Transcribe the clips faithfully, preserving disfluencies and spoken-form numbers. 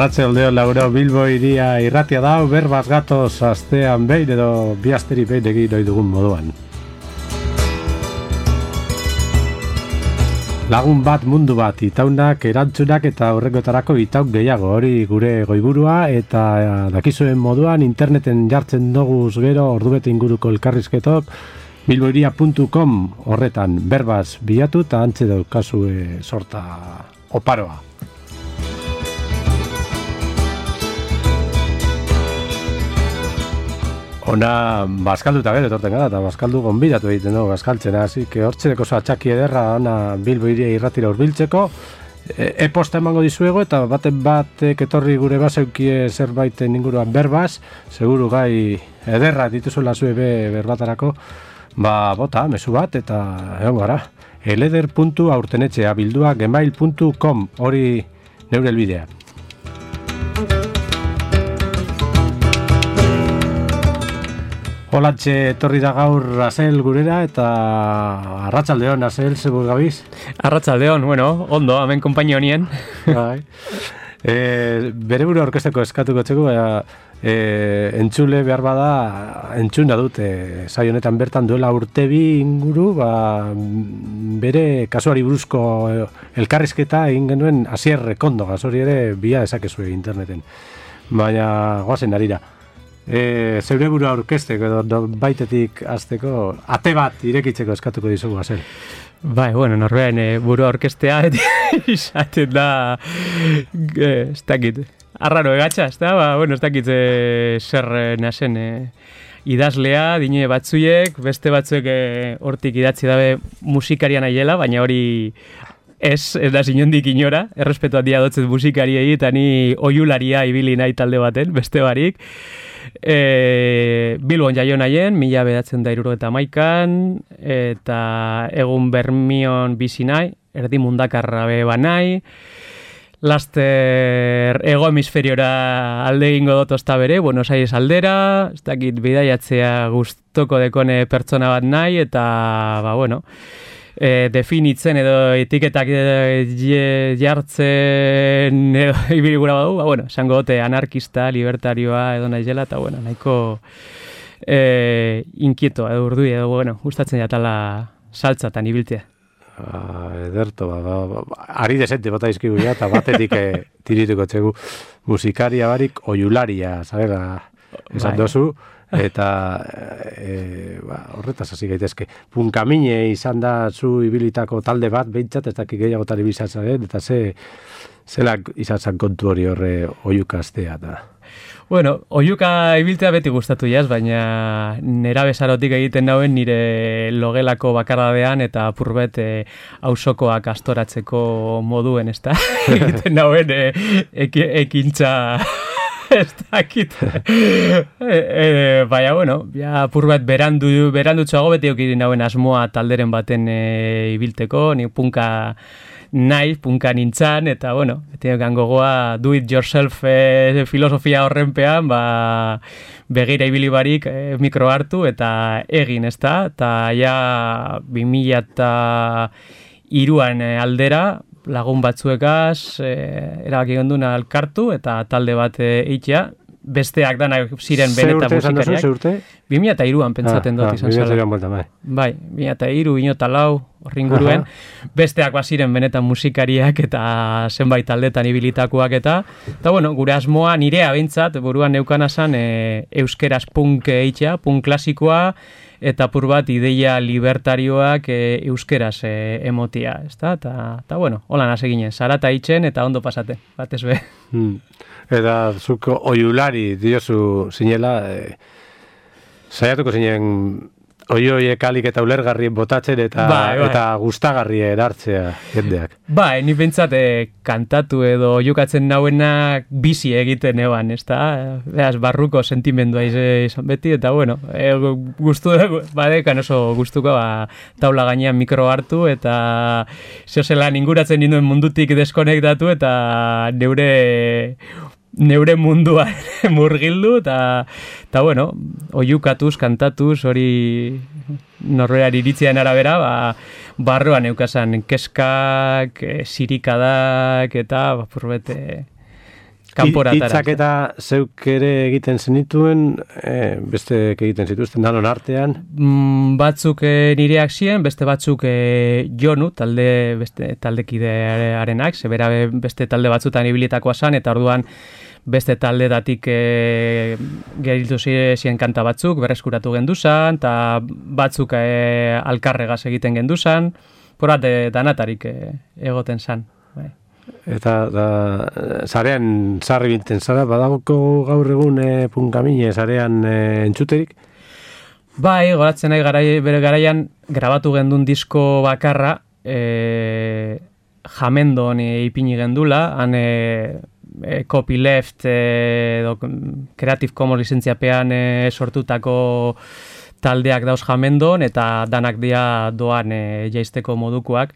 Arratsaldeon lauro Bilbo iria irratia da, berbaz gatoz astean behin edo bi asteri behin egin ohi dugun moduan. Lagun bat mundu bat, itaunak, erantzunak eta horrekotarako itauk gehiago, hori gure goiburua eta dakizuen moduan interneten jartzen doguz gero ordubete inguruko elkarrizketok bilboiria puntu com horretan berbaz bilatu eta antze daukazue sorta oparoa. Ona bazkalduta gero etorten gara, eta bazkaldu gonbidatu egiten dugu bazkaltzena, hasi que hortzereko oso atxaki ederra ona Bilbo iria irratira hurbiltzeko. E-posta emango dizuego eta baten batek etorri gure bazeukie zerbaiten inguruan berbaz, seguru gai ederra dituzula zue be berbatarako, ba bota, mezu bat eta egon gara. eleder puntu aurtenetxea bildua gmail puntu com hori neure elbidea. Holatxe etorri da gaur Azel gurera eta arratsaldeon Azel, segur gabiz? Arratsaldeon, bueno, ondo, hemen konpainia honien. Bai. E, bere buru orkesteko eskatuko txeko, e, entzule behar bada, entzuna dute, saio honetan bertan duela urtebi inguru, ba, bere kasuari buruzko elkarrizketa egin genuen Asier Rekondogaz, hori ere bila dezakezue interneten. Baina goazen arira. E, zeure burua orkesteko edo baitetik azteko ate bat irekitzeko eskatuko dizugu Azel. Bai, bueno, norbean e, burua orkestea izaten da e, ez dakit arraro egatxa, ez da? Ba, bueno, ez dakit e, zer nasen e, idazlea, dine batzuiek, beste batzuek e, hortik idatzi dabe musikaria nahiela, baina hori ez, ez da zinondik inora, errespetu handia dotzet musikariei eta ni oiularia ibili nahi talde baten, beste barik. E, Bilbon jaio nahien, mila bedatzen da iruro eta maikan, eta egun Bermion bizi nahi, erdi mundakarra beba nahi, laster ego hemisferiora alde egingo dut osta bere, Buenos Aires aldera, ez dakit bidaiatzea gustoko dekone pertsona bat nahi, eta, ba, bueno, E, definitzen edo etiketak e, jartzen edo ibiligura badu, ba, bueno, esango dote anarkista, libertarioa edo naizela, eta bueno, nahiko e, inkietoa edo urdui edo, bueno, gustatzen jatala saltzatan ibiltzea. Ah, ederto, ba, ba, ba, ari desente bota izkigu ja, eta batetik e, tirituko txegu musikaria barik oiularia, zabera, esan dozu, eta e, ba, horretaz hasi gaitezke. Punkamine izan da zu ibilitako talde bat, behintzat, ez dakik gehiagotan ibizatzen, eta ze zelak izan kontu hori horre oiuka astea da. Bueno, oiuka ibiltzea beti gustatu jaz, baina nera besarotik egiten nauen nire logelako bakardadean eta apurbet e, ausokoak astoratzeko moduen, ez da? egiten nauen e, ek, ekintza... ez dakit. e, e, baina, bueno, ja, apur bat berandu, berandutxoago beti okirin nauen asmoa talderen baten e, ibilteko, ni punka nahi, punka nintzan, eta, bueno, beti gangogoa do it yourself e, filosofia horrenpean, ba, begira ibili barik e, mikro hartu, eta egin, ez da, eta ja, bi mila eta hiruan e, aldera, lagun batzuekaz, e, erabaki gonduna elkartu eta talde bat eitea, besteak danak ziren beneta musikariak. Ze urte? bi mila eta hiruan pentsaten ah, dut ah, izan zela. Bai, bai bi mila eta hiru, bi mila eta lau, horringuruen, besteak baziren benetan musikariak eta zenbait taldetan ibilitakoak eta, eta bueno, gure asmoa nirea behintzat, buruan neukana zan, e, euskeraz punk eitea, punk klasikoa, eta apur bat ideia libertarioak e, euskeraz e, emotia, ezta? Eta, eta bueno, hola nase ginen, zarata itxen eta ondo pasate, batez be. Hmm. Eta zuko oiulari diozu zinela, e, saiatuko zinen oioiek alik eta ulergarrien botatzen eta, bai, bai. eta gustagarri erartzea jendeak. Bai, ni pentsat e, kantatu edo jokatzen nauenak bizi egiten eban, ez da? Beaz, barruko sentimendua izan beti, eta bueno, e, guztu, badekan oso gustuko ba, taula gainean mikro hartu, eta zeozelan inguratzen ninduen mundutik deskonektatu, eta neure neure mundua murgildu, eta, eta bueno, oiukatuz, kantatuz, hori norberari iritzian arabera, ba, barroan eukasan keskak, sirikadak, eta bapurbete kanpora atara. Hitzak eta zeuk ere egiten zenituen, e, beste egiten zituzten danon artean? Mm, batzuk e, nireak ziren, beste batzuk e, Jonu, talde, beste taldekidearenak, zebera beste talde batzutan ibilitakoa zan, eta orduan beste taldedatik e, geriltu ziren kanta batzuk, berreskuratu genduzan, eta batzuk e, alkarregaz egiten genduzan, porat e, danatarik e, egoten zan. Bai. Eta da, zarean sarri binten zara, badagoko gaur egun e, punkamine zarean e, entzuterik? Bai, goratzen nahi garai, bere garaian grabatu gendun disko bakarra, e, Jamendon e, ipini gendula, han e, E, copyleft e, do, Creative Commons lizentziapean e, sortutako taldeak dauz Jamendon eta danak dia doan e, jaisteko modukoak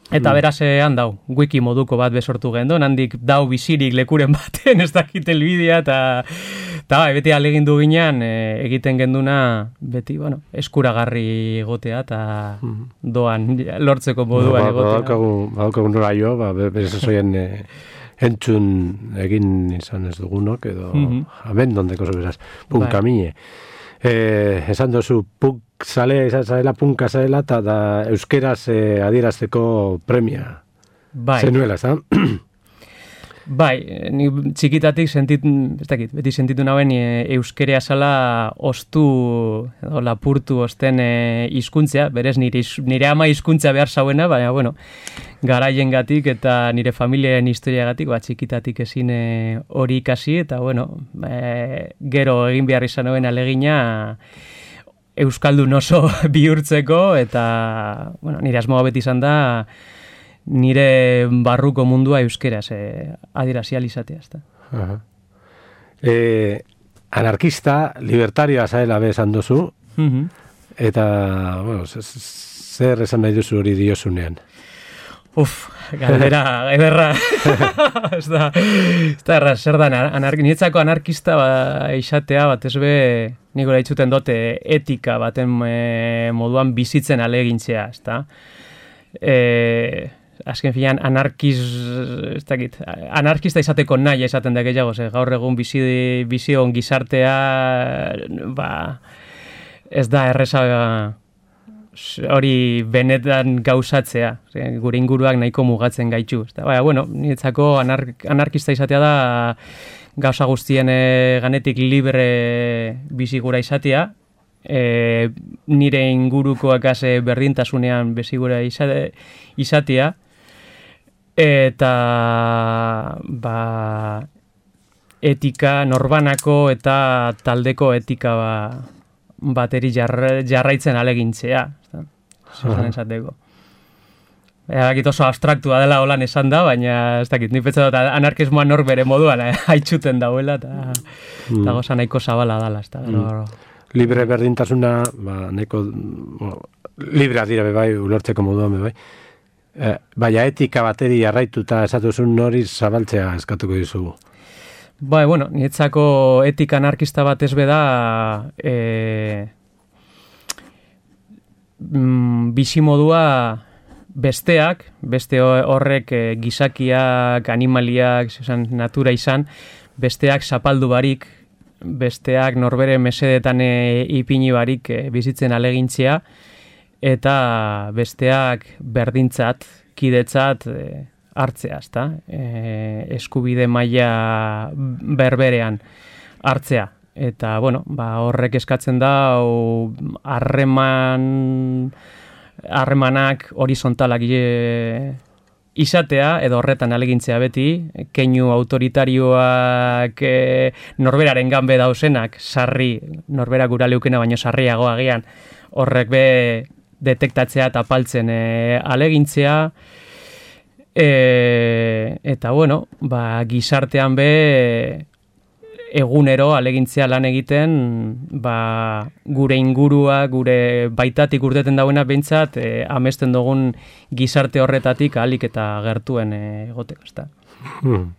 eta mm. beraz han dau, wiki moduko bat besortu gendon, handik dau bizirik lekuren baten ez dakit elbidea eta eta bai, beti alegindu ginean e, egiten genduna beti, bueno, eskuragarri egotea eta mm. doan lortzeko moduan egotea. Badaukagu nora jo, ba, berez ezoien e, entzun egin izan ez dugunok, edo mm-hmm. Jamendon deko beraz, punkamine. Eh, esan dozu, punk zalea izan zarela, punka zarela, eta da euskeraz eh, adierazteko premia. Bai. Zenuela, ez da? Bai, ni txikitatik sentit, ez dakit, beti sentitu nauen e, euskerea zala ostu, edo lapurtu osten e, hizkuntzea, berez nire, nire ama hizkuntza behar zauena, baina, bueno, garaien gatik eta nire familiaren historiagatik, ba, txikitatik ezin hori ikasi, eta, bueno, e, gero egin behar izan nauen alegina euskaldun oso bihurtzeko, eta, bueno, nire asmoa beti izan da, nire barruko mundua euskeraz eh, adirazial izatea. Uh-huh. Eh, anarkista, libertarioa zaela bezan duzu, uh-huh. eta, bueno, zer esan nahi duzu hori diozunean? Uf, galdera, ederra. Ez da, ez da erra, zer da, anar, nietzako anarkista ba, izatea, bat ez be, niko lehitxuten dote, etika baten e, moduan bizitzen alegintzea, ez da. Eh, azken filan anarkiz, ez dakit, anarkista izateko nahi esaten da gehiago, ze gaur egun bizi, bizi on gizartea, ba, ez da erreza hori benetan gauzatzea, ze, gure inguruak nahiko mugatzen gaitu. Baina, bueno, niretzako anark, anarkista izatea da gauza guztien e, ganetik libre bizi gura izatea, e, nire ingurukoak ase berdintasunean bezigura izate, izatea, eta ba, etika norbanako eta taldeko etika ba, bateri jarra, jarraitzen alegintzea. Zeran esateko. Egakit oso abstraktua dela holan esan da, baina ez dakit, ni petza dut anarkismoa nor bere moduan eh, haitxuten dauela, eta mm. goza nahiko zabala dala. Mm. Libre berdintasuna, ba, nahiko, bueno, librea dira bebai, ulortzeko moduan bebai. Eh, baina etika bateri jarraituta esatuzun nori zabaltzea eskatuko dizugu. Bai, bueno, nietzako etika anarkista bat ez beda e, mm, bizimodua besteak, beste horrek e, gizakiak, animaliak, esan, natura izan, besteak zapaldu barik, besteak norbere mesedetan e, ipini barik e, bizitzen alegintzea, eta besteak berdintzat, kidetzat e, hartzea, ezta? E, eskubide maila berberean hartzea. Eta, bueno, ba, horrek eskatzen da harreman harremanak horizontalak e, izatea, edo horretan alegintzea beti, keinu autoritarioak e, norberaren ganbe dauzenak, sarri, norbera gura leukena baino sarriago agian, horrek be detektatzea eta paltzen e, alegintzea, e, eta bueno, ba, gizartean be egunero alegintzea lan egiten, ba, gure ingurua, gure baitatik urteten dauena behintzat, e, amesten dugun gizarte horretatik ahalik eta gertuen e, egoteko, ezta. Hmm.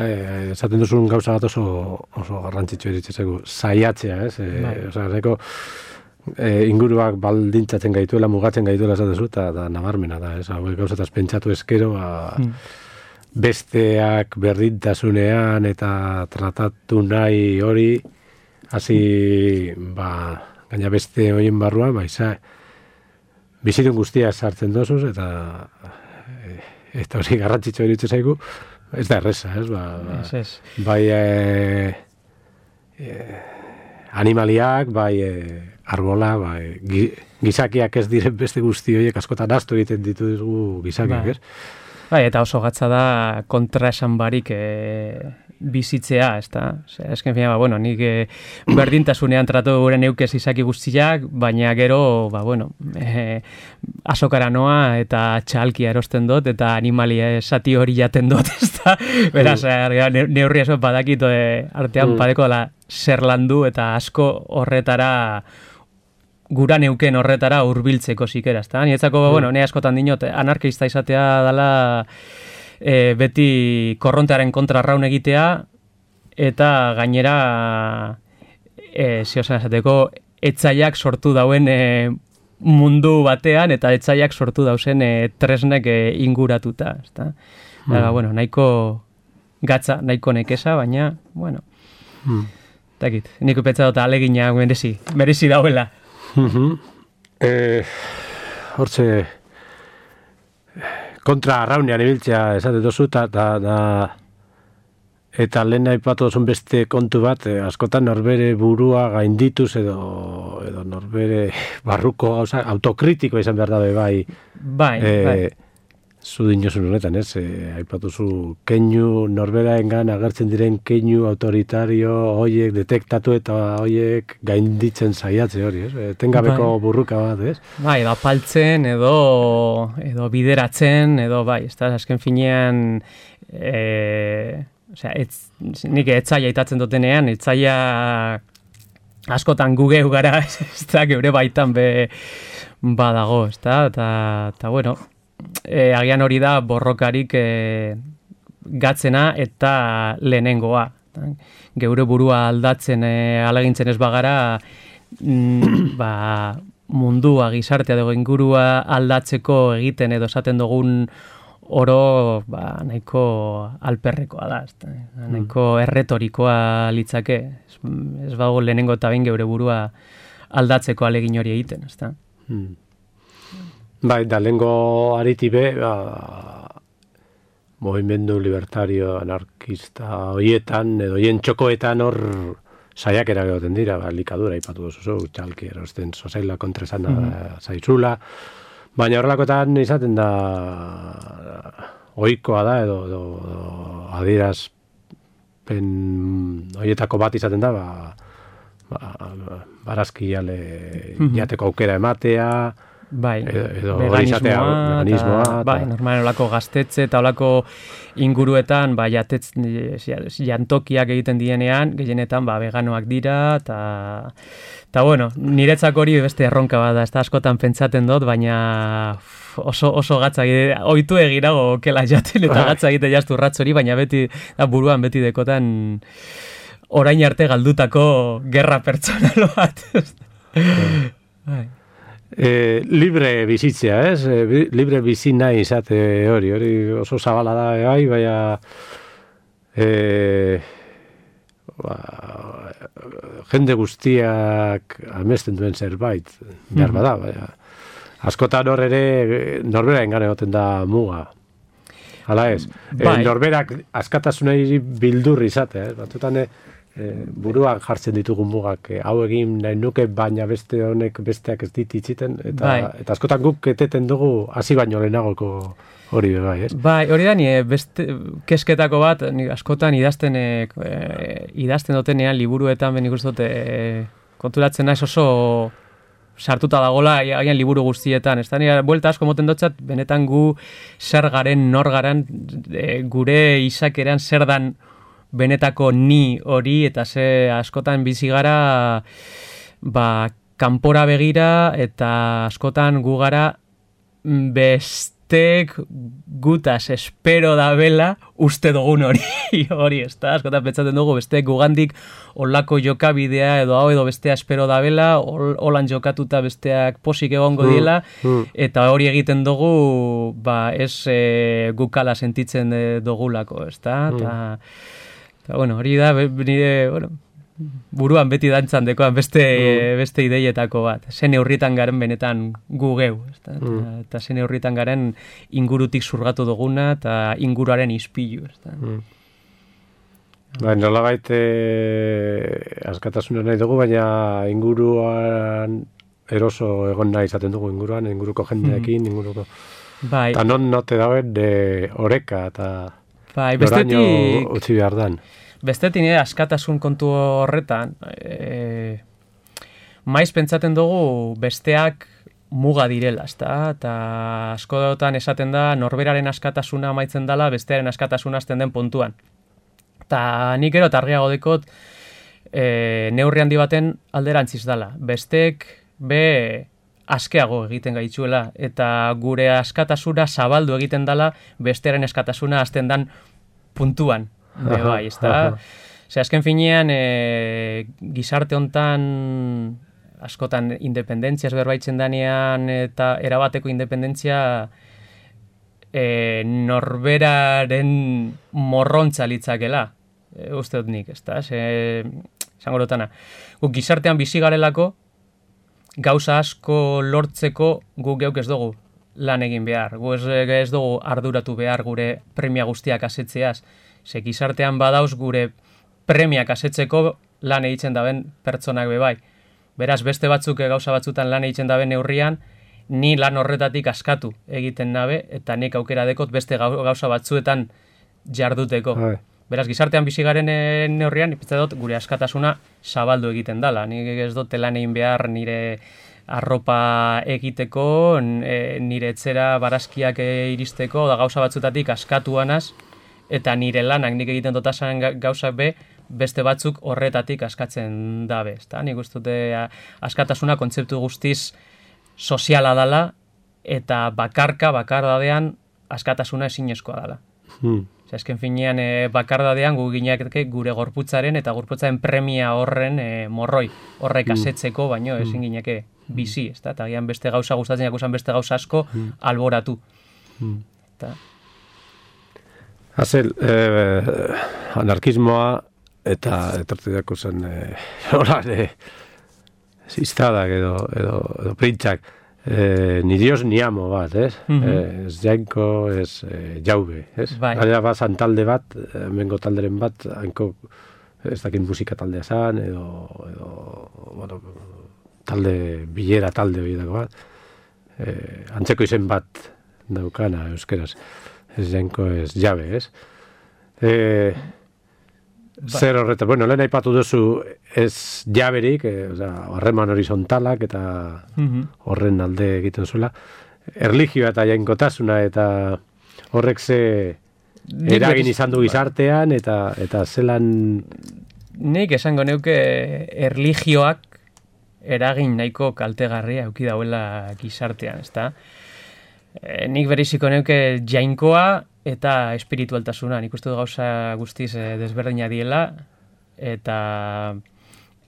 Eh, esaten duzun gauza bat oso, oso garrantzitsu eritzezegu, saiatzea, ez? E, bai. Osa, neko, e, inguruak baldintzatzen gaituela, mugatzen gaituela esatezu, eta da nabarmena da, ez? Hau gauzataz pentsatu eskero, ba, hmm. besteak berdintasunean eta tratatu nahi hori, hasi, ba, gaina beste horien barruan, ba, iza, bizitun guztia sartzen dozuz, eta eta hori garrantzitsu iruditzen zaigu, ez da erreza, ez, ba, ez, ez. bai e, e, animaliak, bai e, arbola, bai gizakiak ez diren beste guzti horiek askotan astu egiten ditugu gizakiak, bai. ez? Bai, eta oso gatza da kontra esan barik e, bizitzea, ez da? Esken fina, ba, bueno, nik e, berdintasunean tratu gure neukez izaki guztiak, baina gero, ba, bueno, e, azokara noa eta txalkia erosten dut, eta animalia esati hori jaten dut, ez da? Beraz, mm. neurri asko badakit e, artean mm. padeko dela zer landu eta asko horretara gura neuken horretara hurbiltzeko zikera, ezta? Nietzako, mm. bueno, ne askotan dinot, anarkista izatea dela e, beti korrontearen kontra raun egitea, eta gainera, e, ziozen esateko, etzaiak sortu dauen e, mundu batean, eta etzaiak sortu dauzen e, tresnek e, inguratuta, ezta? Mm. Dara, bueno, nahiko gatza, nahiko nekesa, baina, bueno, mm. takit, niko petza dut alegina merezi, merezi dauela. Uh-huh. Eh, hortze kontra arraunean ibiltzea esate dozu eta da, da, eta lehen aipatu dozun beste kontu bat, eh, askotan norbere burua gaindituz edo, edo norbere barruko gauza, autokritiko izan behar dabe bai, bai, eh, bai. Zu dinosun honetan, ez? E, aipatuzu keinu, norberaengan agertzen diren keinu autoritario hoiek detektatu eta hoiek gainditzen saiatze hori, ez? Tengabeko bai. Burruka bat, ez? Bai, edo apaltzen, edo, edo bideratzen, edo bai, ez da, azken finean, e, osea, etz, nik etzaia itatzen dutenean, etzaia askotan gugeu gara, ez da, geure baitan be badago, ez da, eta, eta bueno, E, agian hori da borrokarik e, gatzena eta lehenengoa. Geure burua aldatzen e, alagintzen ez bagara mm, ba, mundua, gizartea dugu ingurua aldatzeko egiten edo esaten dugun oro ba, nahiko alperrekoa da. Ez, nahiko erretorikoa litzake. Ez, ez bago lehenengo eta behin geure burua aldatzeko alegin hori egiten. Ez da? Hmm. Bai, da lehengo aritibe, ba, movimendu libertario, anarkista, hoietan, edo hien txokoetan hor saiakera gehoten dira, ba, likadura ipatu duzu, txalki erosten sozaila kontresan mm-hmm. zaizula, baina horrelakoetan izaten da ohikoa da, edo, edo, edo adierazpen hoietako bat izaten da, ba, ba, barazki jale mm-hmm. jateko aukera ematea, bai, edo veganismoa, veganismoa ta, bai, normal olako gaztetze eta olako inguruetan, ba, jatetz, jantokiak egiten dienean, gehienetan, ba, veganoak dira, eta, eta bueno, niretzak hori beste erronka bada, ez da askotan pentsaten dut, baina oso, oso gatza egite, oitu egirago kela jaten, eta gatza egite jaztu ratz hori, baina beti, da, buruan beti dekotan orain arte galdutako gerra pertsonal bat. Bai. E, libre bizitzea, ez? E, libre bizi nahi izate hori, hori oso zabala da, bai, baina e, ba, jende guztiak amesten duen zerbait, behar bada, baina askotan hor ere norbera engan egoten da muga. Hala ez? Bai. E, norberak askatasunei bildur izate, ez? Batutan e, E, buruak jartzen ditugu mugak, e, hau egin nahi nuke, baina beste honek besteak ez dit itziten, eta, bai. Eta askotan guk eteten dugu hasi baino lehenagoko hori bai, ez? Bai, hori da, ni beste kesketako bat, ni askotan idazten, e, idazten dutenean, liburuetan, benik uste dute, e, konturatzen naiz oso sartuta dagola, agian liburu guztietan, ez da, nire buelta asko moten dotzat, benetan gu zer garen, nor garen, e, gure izakeran zer dan benetako ni hori, eta ze askotan bizi gara ba, kanpora begira, eta askotan gu gara best, bestek gutaz espero da bela uste dugun hori, hori, ez da, askotan pentsatzen dugu, bestek gugandik olako jokabidea edo hau edo bestea espero da bela, holan jokatuta besteak posik egongo diela, mm, mm. eta hori egiten dugu, ba, ez e, gukala sentitzen dugulako, ez da, eta, mm. eta, bueno, hori da, nire, bueno, buruan beti dantzan dekoan beste, mm. beste ideietako bat. Zen neurritan garen benetan gu geu. Eta, mm. eta zen neurritan garen ingurutik zurgatu duguna eta inguruaren ispilu. Mm. Ba, nola baite askatasuna nahi dugu, baina inguruan eroso egon nahi izaten dugu inguruan, inguruko jendeekin, mm. inguruko... Bai. Eta non note dauen de oreka eta bai, noraino utzi behar dan. Bestetik nire askatasun kontu horretan, e, maiz pentsaten dugu besteak muga direla, ezta? Eta askotan esaten da norberaren askatasuna amaitzen dela, bestearen askatasuna hasten den puntuan. Eta nik ero targiago dekot e, neurri handi baten alderantziz dela. Bestek be askeago egiten gaitzuela, eta gure askatasuna zabaldu egiten dela, bestearen askatasuna hasten den puntuan. Be bai, ez da. Ze azken finean, e, gizarte hontan askotan independentziaz berbaitzen danean eta erabateko independentzia e, norberaren morrontza litzakela. E, uste dut nik, ez da. Zango lotana. Guk gizartean bizi garelako, gauza asko lortzeko guk geuk ez dugu lan egin behar. Gu ez, ez dugu arduratu behar gure premia guztiak asetzeaz. Ze gizartean badauz gure premiak asetzeko lan egiten daben pertsonak bebai. Beraz, beste batzuk gauza batzutan lan egiten daben neurrian, ni lan horretatik askatu egiten nabe, eta nik aukera dekot beste gauza batzuetan jarduteko. Hai. Beraz, gizartean bizi garen neurrian, ipetze dut, gure askatasuna zabaldu egiten dala. Nik ez dut lan egin behar nire arropa egiteko, nire etxera barazkiak iristeko, da gauza batzutatik askatuanaz, eta nire lanak nik egiten dotasan gauzak be, beste batzuk horretatik askatzen dabe. Ezta? Nik uste dute askatasuna kontzeptu guztiz soziala dala, eta bakarka, bakardadean, askatasuna ezinezkoa dala. Hmm. Azken finean, e, bakardadean gu gineak gure gorputzaren eta gorputzaren premia horren e, morroi horrek asetzeko, baino ezin gineke bizi, ezta? Eta gian beste gauza gustatzen jakusan beste gauza asko alboratu. Hmm. Eta... Hazel, eh, anarkismoa eta etortidako zen eh, horan, eh, ziztadak edo, edo, edo printzak eh, ni dios ni amo bat, ez? Mm-hmm. eh, ez jainko, ez eh, jaube, ez? Bai. Gara bazan talde bat, mengo talderen bat, hainko ez dakit musika taldea zan, edo, edo bueno, talde, bilera talde horietako bat, eh, antzeko izen bat daukana euskeraz. Ez jainko ez jabe, ez? E, zer horretan, bueno, lehen aipatu duzu ez jaberik, e, oza, harreman horizontalak eta horren alde egiten zuela. Erlijioa eta jainkotasuna eta horrek ze eragin izan du gizartean eta eta zelan... Nik esango neuke erlijioak eragin nahiko kaltegarria eduki dauela gizartean, ezta? E, nik beriziko neuke jainkoa eta espiritualtasuna. Nik uste du gauza guztiz e, desberdina diela, eta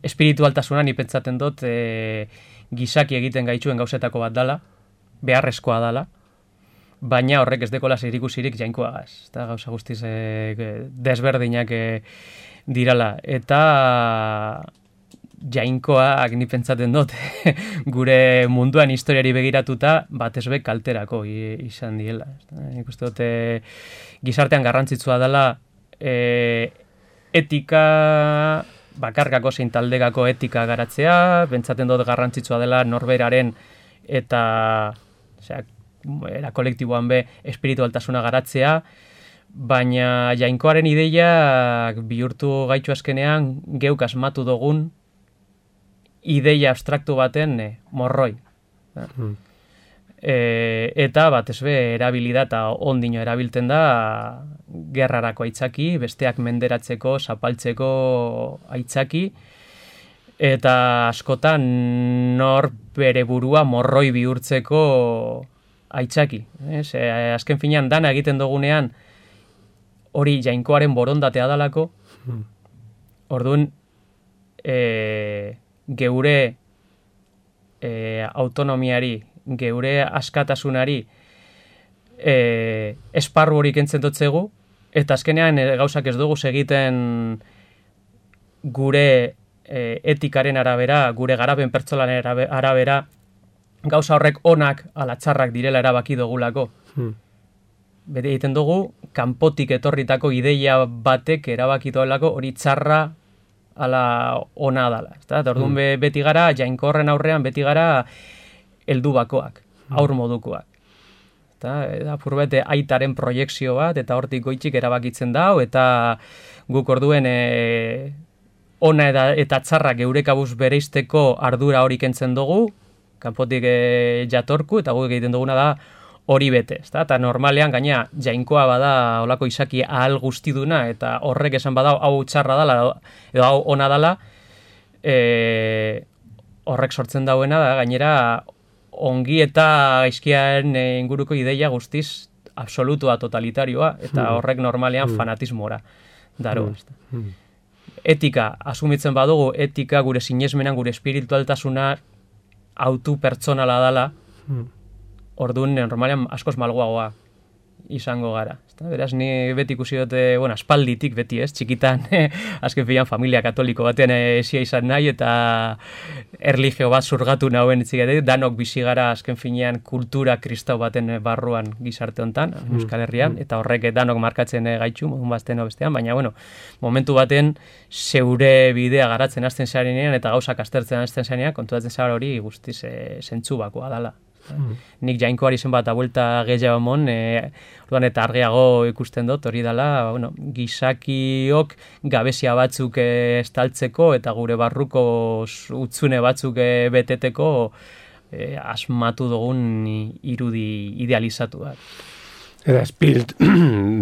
espiritualtasuna nik pentsaten dut e, gizaki egiten gaituen gauzetako bat dala, beharrezkoa dala, baina horrek ez dekola zerikusirik jainkoagaz. Eta gauza guztiz e, desberdinak e, dirala. Eta jainkoak ni pentsaten dut gure munduan historiari begiratuta batez be kalterako izan diela. Nik uste dut e, gizartean garrantzitsua dela e, etika bakarkako zein taldegako etika garatzea, pentsaten dut garrantzitsua dela norberaren eta osea, era kolektiboan be espiritualtasuna garatzea, baina jainkoaren ideiak bihurtu gaitu azkenean geuk asmatu dugun ideia abstraktu baten e, morroi. Hmm. E, eta batez be erabilida eta ondino erabiltzen da gerrarako aitzaki, besteak menderatzeko, zapaltzeko aitzaki, eta askotan nor bere burua morroi bihurtzeko aitzaki. Ez? E, azken finean dana egiten dugunean hori jainkoaren borondatea dalako, hmm. orduan e, geure e, autonomiari, geure askatasunari e, esparru hori kentzen dotzegu, eta azkenean e, gauzak ez dugu egiten gure e, etikaren arabera, gure garapen pertsonalen arabera, gauza horrek onak ala txarrak direla erabaki dugulako. Hmm. Bete egiten dugu, kanpotik etorritako ideia batek erabaki duelako hori txarra ala ona dala. Eta orduan hmm. beti gara, jainkorren aurrean beti gara heldu bakoak, hmm. aur modukoak. Eta apurbete aitaren proiekzio bat, eta hortik goitzik erabakitzen dau, eta guk orduen e, ona eta, eta txarra geure kabuz bereizteko ardura hori kentzen dugu, kanpotik e, jatorku, eta guk egiten duguna da hori bete, ezta? Eta normalean gaina jainkoa bada olako izaki ahal guztiduna, eta horrek esan bada hau txarra dala, edo hau ona dala, e, horrek sortzen dauena da, gainera ongi eta gaizkiaren inguruko ideia guztiz absolutua, totalitarioa, eta horrek normalean fanatismora daro. Hmm. Etika, asumitzen badugu, etika gure sinesmenan, gure espiritualtasuna autu pertsonala dala, hmm. orduan normalean askoz malguagoa izango gara. Beraz, ni beti ikusi dute, bueno, aspalditik beti ez, txikitan, azken filan familia katoliko batean esia izan nahi, eta erlijio bat zurgatu nauen itzik, danok bizi gara azken finean kultura kristau baten barruan gizarte hontan, Euskal Herrian, eta horrek danok markatzen gaitxu, modun bazten bestean, baina, bueno, momentu baten zeure bidea garatzen hasten zarenean, eta gauzak aztertzen hasten zarenean, konturatzen zara hori guztiz e, zentzu bakoa dala. Hmm. Nik jainkoari zen bat abuelta gehiago emon, e, orduan eta argiago ikusten dut, hori dela, bueno, gizakiok gabezia batzuk e, estaltzeko eta gure barruko utzune batzuk e, beteteko e, asmatu dugun irudi idealizatu da. Eta espirit,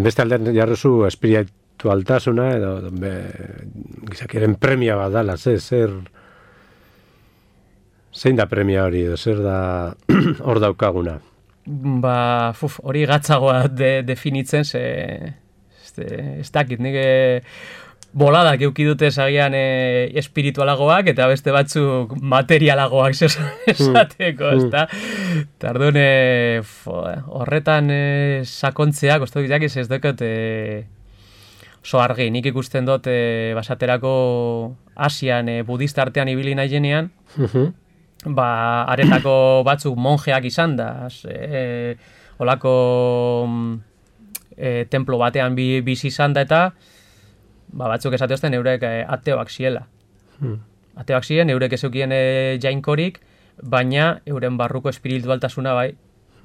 beste aldean jarruzu espiritualtasuna edo be, gizakiaren premia bat dala, zer, zer zein da premia hori, edo zer da hor daukaguna? Ba, fuf, hori gatzagoa de, definitzen, ze, ez, ez dakit, nik boladak eukidute zagian e, espiritualagoak, eta beste batzuk materialagoak esateko, ez da? Eta orduan, e, horretan e, sakontzeak, oztu ditak ez dukot, e, oso argi, nik ikusten dut, e, basaterako Asian, e, budista artean ibili nahi jenean, uh-huh. ba, aretako batzuk monjeak izan da, e, olako e, templo batean bi, bizi izan da, eta ba, batzuk esateozten eurek e, ateoak ziela. Hmm. Ateoak ziren, eurek ezeukien e, jainkorik, baina euren barruko espiritualtasuna bai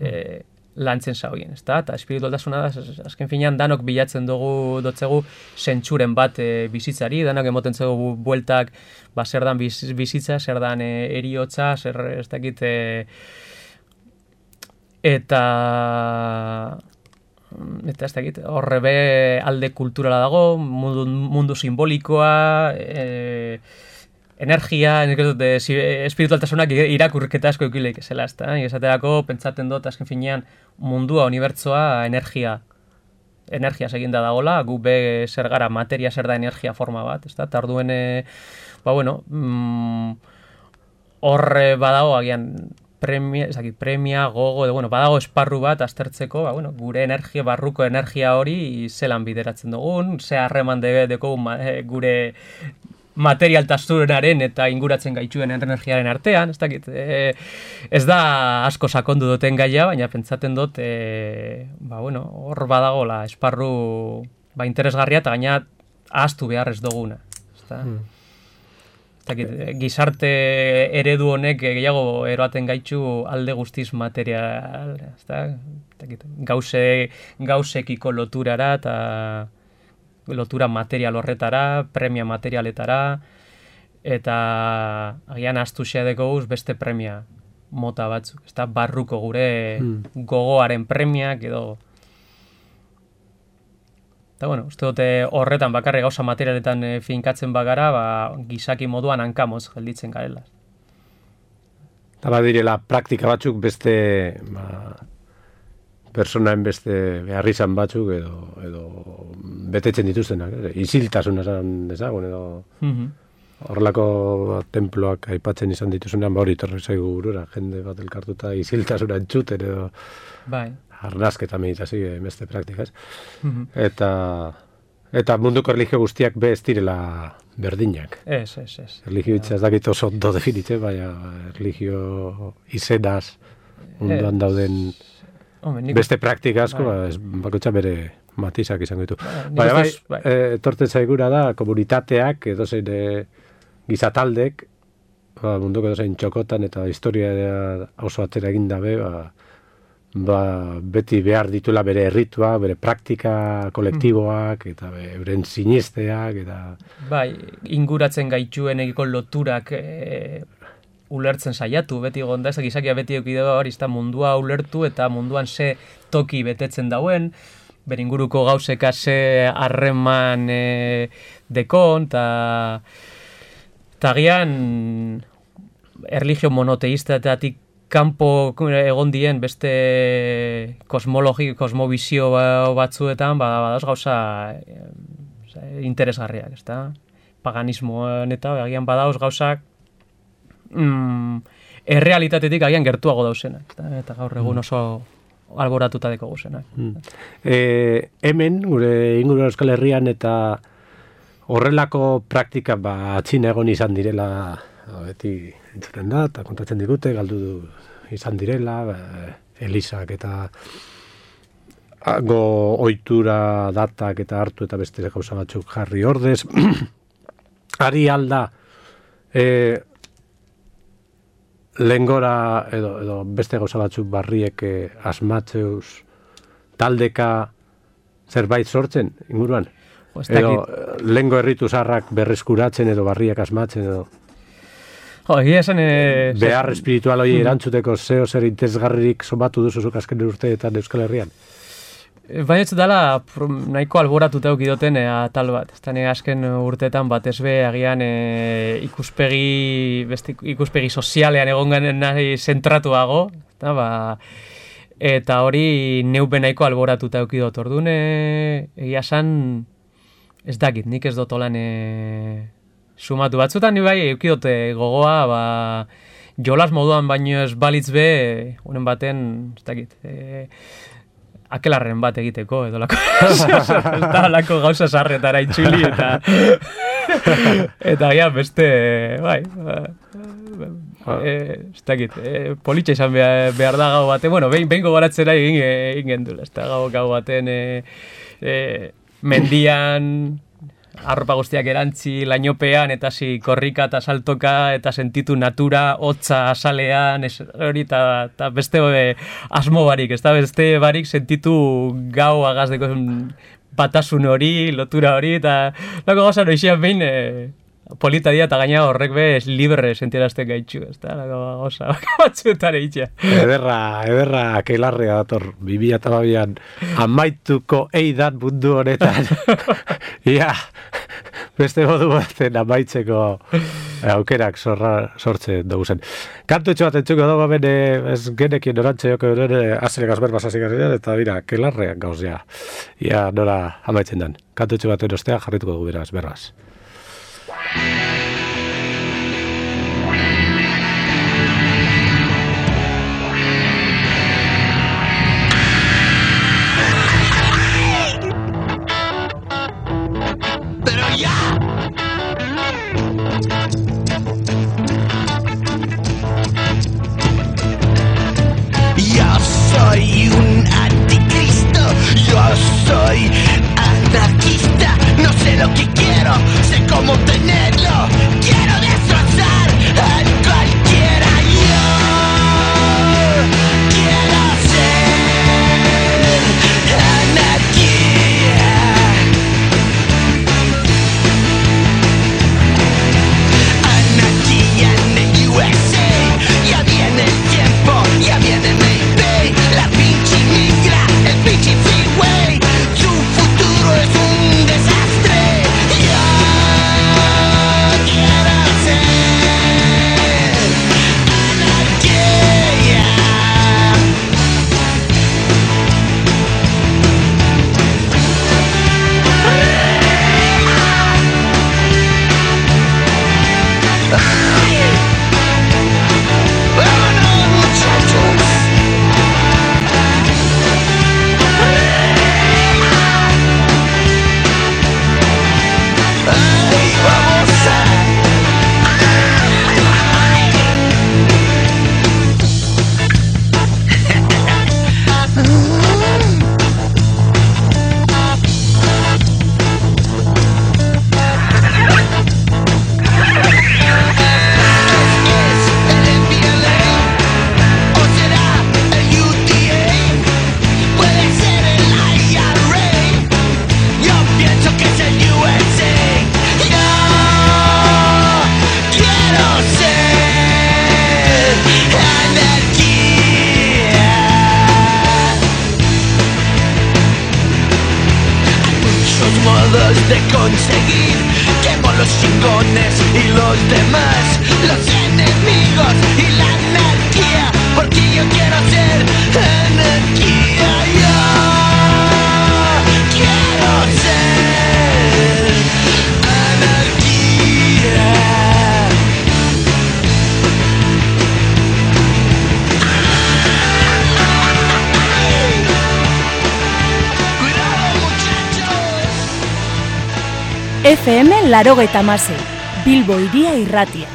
e, lantzen zaugien, ezta? Eta espiritualtasuna da, azken finean danok bilatzen dugu dotzegu zentsuren bat e, bizitzari, danok emoten zego bueltak, ba, zer dan biz, bizitza, zer dan e, eriotza, zer ez dakit, e, eta eta ez dakit, horre be alde kulturala dago, mundu, mundu simbolikoa, e, energia, espiritualtasunak irakurketa asko eukileik ezela, ez da? Esaterako, pentsaten dut, azken finean, mundua, unibertsoa, energia. Energia seginda dagola, gu be zer gara, materia zer da energia forma bat, ez da? Eta orduen, ba, bueno, horre mm, badago, agian, premia, ezakit, premia, gogo, de, bueno, badago esparru bat aztertzeko, ba, bueno, gure energia, barruko energia hori zelan bideratzen dugun, ze harreman deko gure materialtasunaren eta inguratzen gaituen energiaren artean, ez dakit, e, ez da asko sakondu duten gaia, baina pentsaten dut, e, ba, bueno, hor badagola esparru ba, interesgarria eta gaina ahaztu behar ez duguna. Ez da? Hmm. Ez dakit, gizarte eredu honek gehiago eroaten gaitu alde guztiz material, ez da? Ez dakit, gauze, gauzekiko loturara eta lotura material horretara, premia materialetara, eta agian astu xedeko guz beste premia mota batzuk. Ez da barruko gure hmm. gogoaren premiak edo. Eta bueno, uste dute horretan bakarri gauza materialetan e, finkatzen bagara, ba, gizaki moduan hankamoz gelditzen garela. Eta badirela praktika batzuk beste ba, personaen beste behar izan batzuk edo, edo betetzen dituztenak, eh? Isiltasuna esan dezagun, edo mm-hmm. horrelako temploak aipatzen izan dituzunean, ba hori torri zaigu burura, jende bat elkartuta isiltasuna entzuten, edo bai. Arnazketa meditazio, beste praktikaz. Mm-hmm. Eta, eta munduko erlijio guztiak be ez direla berdinak. Ez, ez, ez. Erlijio itza ez dakit oso ondo definitze, baina erlijio izenaz munduan es. dauden Hombre, nik... beste praktika asko, bai. ba, bakotxa bere matizak izango ditu. Baina bai, bai. E, etortzen zaigura da, komunitateak, edozein e, gizataldek, ba, munduko edozein txokotan eta historia oso atera egin dabe, ba, ba, beti behar ditula bere erritua, bere praktika kolektiboak, eta beren sinesteak, eta... Bai, inguratzen gaituen egiko loturak e, ulertzen saiatu, beti gonda, ez gizakia beti eukideo hori, mundua ulertu eta munduan ze toki betetzen dauen, beringuruko gauzeka ze harreman e, dekon, eta tagian erlijio monoteistetatik kanpo egon dien beste kosmologi, kosmobizio batzuetan, badauz gauza interesgarriak, ez da? Paganismoan eta agian badauz gauzak mm, errealitatetik agian gertuago dauzenak, ez da? Eta gaur egun oso alboratuta deko guzenak. Mm. E, hemen, gure inguru Euskal Herrian eta horrelako praktika ba atxina egon izan direla beti entzuten da, eta kontatzen digute, galdu du izan direla, Elisak eta go ohitura datak eta hartu eta beste gauza batzuk jarri ordez. Ari alda e, lengora edo, edo beste gauza batzuk barriek e, asmatzeuz taldeka zerbait sortzen inguruan? Edo lengo erritu zarrak berreskuratzen edo barriak asmatzen edo... Oh, esan, e, behar espiritual hori erantzuteko zeo zer interesgarririk somatu duzuzuk azken urteetan Euskal Herrian? Baina ez dela nahiko alboratuta eukidoten e, tal bat. Ez da azken urteetan batez be agian e, ikuspegi, beste, ikuspegi sozialean egon garen nahi zentratuago. Eta, ba, eta hori neupe nahiko alboratuta eukidot. Orduan, egia san, ez dakit, nik ez dut olan... E, sumatu batzutan ni bai eukidote gogoa, ba, jolas moduan baino ez balitz be, unen baten, ez dakit, e, akelarren bat egiteko, edo lako, eta lako gauza sarretara itxuli, eta, eta ja, beste, bai, e, ez dakit, e, politxa izan behar, behar da gau baten, bueno, behin, behin gogoratzera egin, egin gendula, ez da gau, gau baten, e, e, mendian, arropa guztiak erantzi lainopean, eta zi korrika eta saltoka, eta sentitu natura, hotza asalean, ez, hori, eta beste e, asmo barik, ez da beste barik sentitu gau agazdeko batasun hori, lotura hori, eta lako gauza noixian behin e, polita dia, eta gaina horrek be libre sentierazten gaitxu, ez da, lako gauza batzuetan eitxea. Ederra, ederra, keilarrea dator, bibia eta babian, amaituko eidan mundu honetan. Ia, beste modu baten amaitzeko aukerak zorra, sortze dugu zen. Kantu etxo bat entzuko dugu, ben, ez genekien orantxe joko dure azere gazber basasik azinean, eta bira, keilarrean gauzea. Ia, nora amaitzen den. Kantu etxo baten ostea jarrituko dugu beraz, beraz. Pero ya. Yo soy un anticristo, yo soy anarquista, no sé lo que quiero, sé cómo tenerlo. conseguir. Quemo los chingones y los demás, los enemigos y la anarquía, porque yo quiero ser anarquía. Yo quiero ser anarquía. F M laurogeita hamasei, Bilbo Hiria Irratia.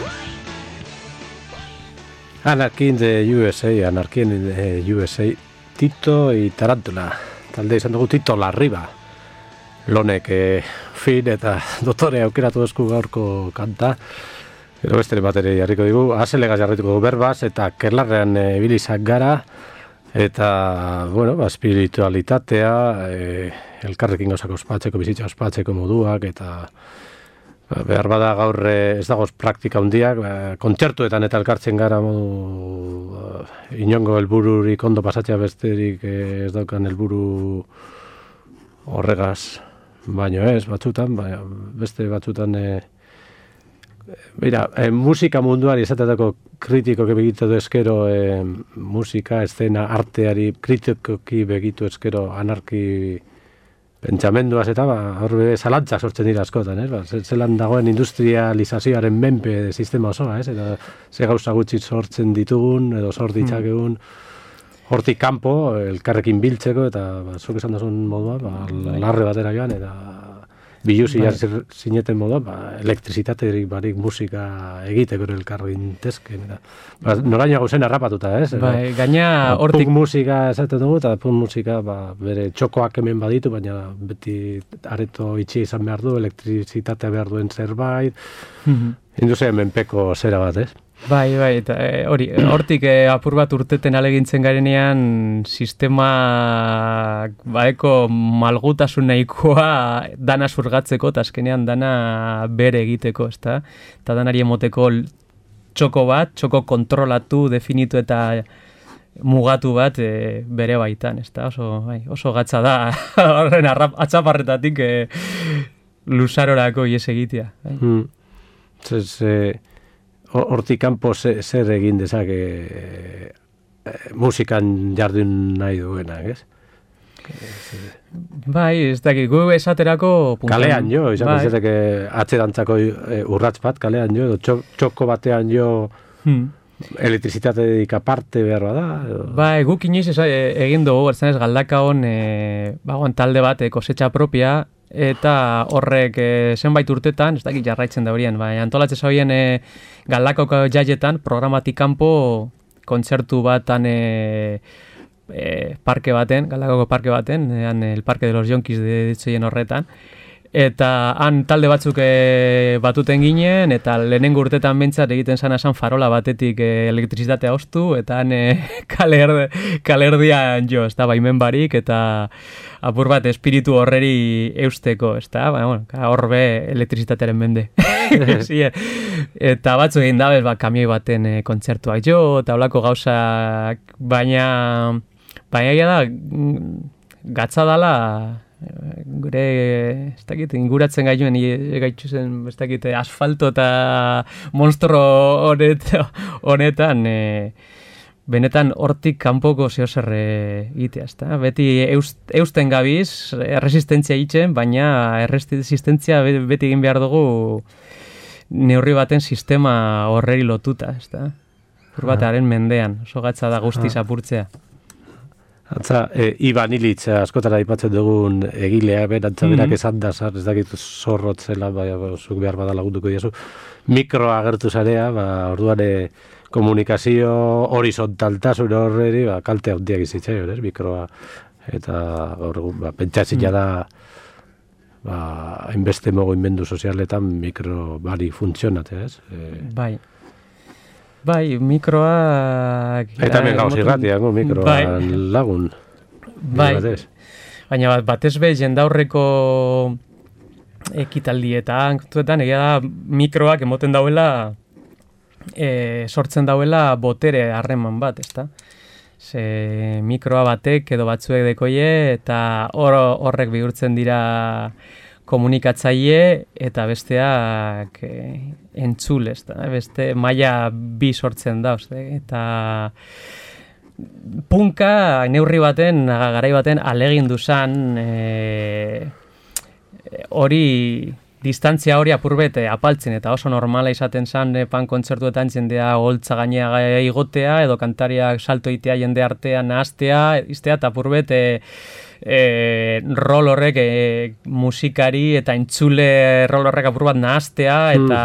Anarchy in the U S A, Anarchy in the U S A, Tito y Tarántula. Talde izan dugu Tito Larriba. Lonek eh, fin eta dotore aukeratu esku gaurko kanta. Gero beste bateri jarriko digu. Azelegaz jarrituko dugu berbaz eta kerlarrean e, bilizak gara. Eta, bueno, ba, espiritualitatea, e, elkarrekin gauzak ospatzeko, bizitza ospatzeko moduak, eta ba, behar bada gaur e, ez dagoz praktika hundiak, ba, kontzertuetan eta elkartzen gara modu ba, inongo helbururik ondo pasatzea besterik e, ez daukan helburu horregaz, baino ez, batzutan, ba, beste batzutan... E, Mira, eh, musika munduari esatetako kritikoki begitu eskero eh, musika, eszena, arteari kritikoki begitu eskero anarki pentsamenduaz eta ba, horre zalantzak sortzen dira askotan, ez? Ba, zelan dagoen industrializazioaren menpe sistema osoa, ez? Eta ze gauza gutxi sortzen ditugun edo sort ditzakegun hortik kanpo elkarrekin biltzeko eta ba, zuk esan dazun modua, ba, larre batera joan eta biluzi bai. Zineten modu, ba, elektrizitaterik barik musika egiteko elkarrin tezken. Ba, noraino gauzen harrapatuta, ez? Bai, gaina hortik... Punk musika esaten dugu, eta punk musika ba, bere txokoak hemen baditu, baina beti areto itxi izan behar du, elektrizitatea behar duen zerbait, mm-hmm. Industria menpeko zera bat, ez? Bai, bai, eta hori, e, hortik e, apur bat urteten alegintzen garenean sistema baeko malgutasun nahikoa dana zurgatzeko, eta azkenean dana bere egiteko, ezta? Eta danari emoteko txoko bat, txoko kontrolatu, definitu eta mugatu bat e, bere baitan, ezta? Oso, bai, oso gatza da, horren atzaparretatik e, luzarorako ies egitea. Bai. Hmm. Zez, eh... Hortik kanpo zer egin dezake e, e, musikan jardun nahi duenak, ez? Bai, ez dakit, gu esaterako... Puntan, kalean jo, izan bai. Izateke atzerantzako e, urratz bat, kalean jo, edo txoko batean jo hmm. elektrizitateik aparte behar bada. Edo... Bai, guk inoiz egin dugu, bertzen ez galdakaon e, bagoan talde bat, e, kosetxa propia, eta horrek e, zenbait urtetan, ez dakit jarraitzen da horien, bai, antolatzen zauen e, Galdakoko jaietan, programatik kanpo kontzertu batan e, e, parke baten, Galdakoko parke baten, ean el Parque de los Yonkis de ditzoien horretan, eta han talde batzuk e, batuten ginen, eta lehenengo urtetan bentsat egiten zana esan farola batetik e, elektrizitatea ostu, eta han e, kaler, kalerdian jo, ez da, baimen barik, eta apur bat espiritu horreri eusteko, ez da, ba, bueno, horbe elektrizitatearen mende. Sí, eta batzu egin dabez, ba, kamioi baten e, kontzertuak jo, eta holako gauzak, baina, baina da, gatza dala, gure, ez dakit, inguratzen gaituen, gaitxuzen, ez dakit, asfalto eta monstro honet, honetan, e, benetan hortik kanpoko zehozer egitea, ezta? Beti eust, eusten gabiz, erresistentzia itzen, baina erresistentzia beti egin behar dugu neurri baten sistema horreri lotuta, ezta? Hor batearen mendean, oso gatza da guztiz apurtzea. Atza, e, Iban Ilitz askotara aipatzen dugun egilea, berantza berak mm-hmm. esan da, zar, ez dakit zorrotzela, bai, zuk behar bada lagunduko diazu, mikroa agertu zarea, ba, orduan e, komunikazio horizontaltasun horreri, ba, kalte handiak izitzaion, ez, mikroa, eta gaur egun, ba, pentsatzila da, ba, hainbeste mogo inmendu sozialetan mikro bari funtzionatea, ez? E, bai. Bai, mikroak... Eta hemen gauz irratiak, no? Mikroa bai. Lagun. Bai, baina bat, batez be jendaurreko ekitaldietan, egia da mikroak emoten dauela, e, sortzen dauela botere harreman bat, ezta? Ze mikroa batek edo batzuek dekoie, eta hor, horrek bihurtzen dira komunikatzaile eta besteak e, entzule, ez da, beste maila bi sortzen da, uste, eta punka neurri baten, garai baten alegindu zan e, hori distantzia hori apurbet apaltzen, eta oso normala izaten zan e, pan kontzertuetan jendea holtza gainea igotea, edo kantariak salto itea jende artean nahaztea, iztea, eta apurbet e, e, rol horrek e, musikari eta entzule rol horrek apurbat nahaztea, eta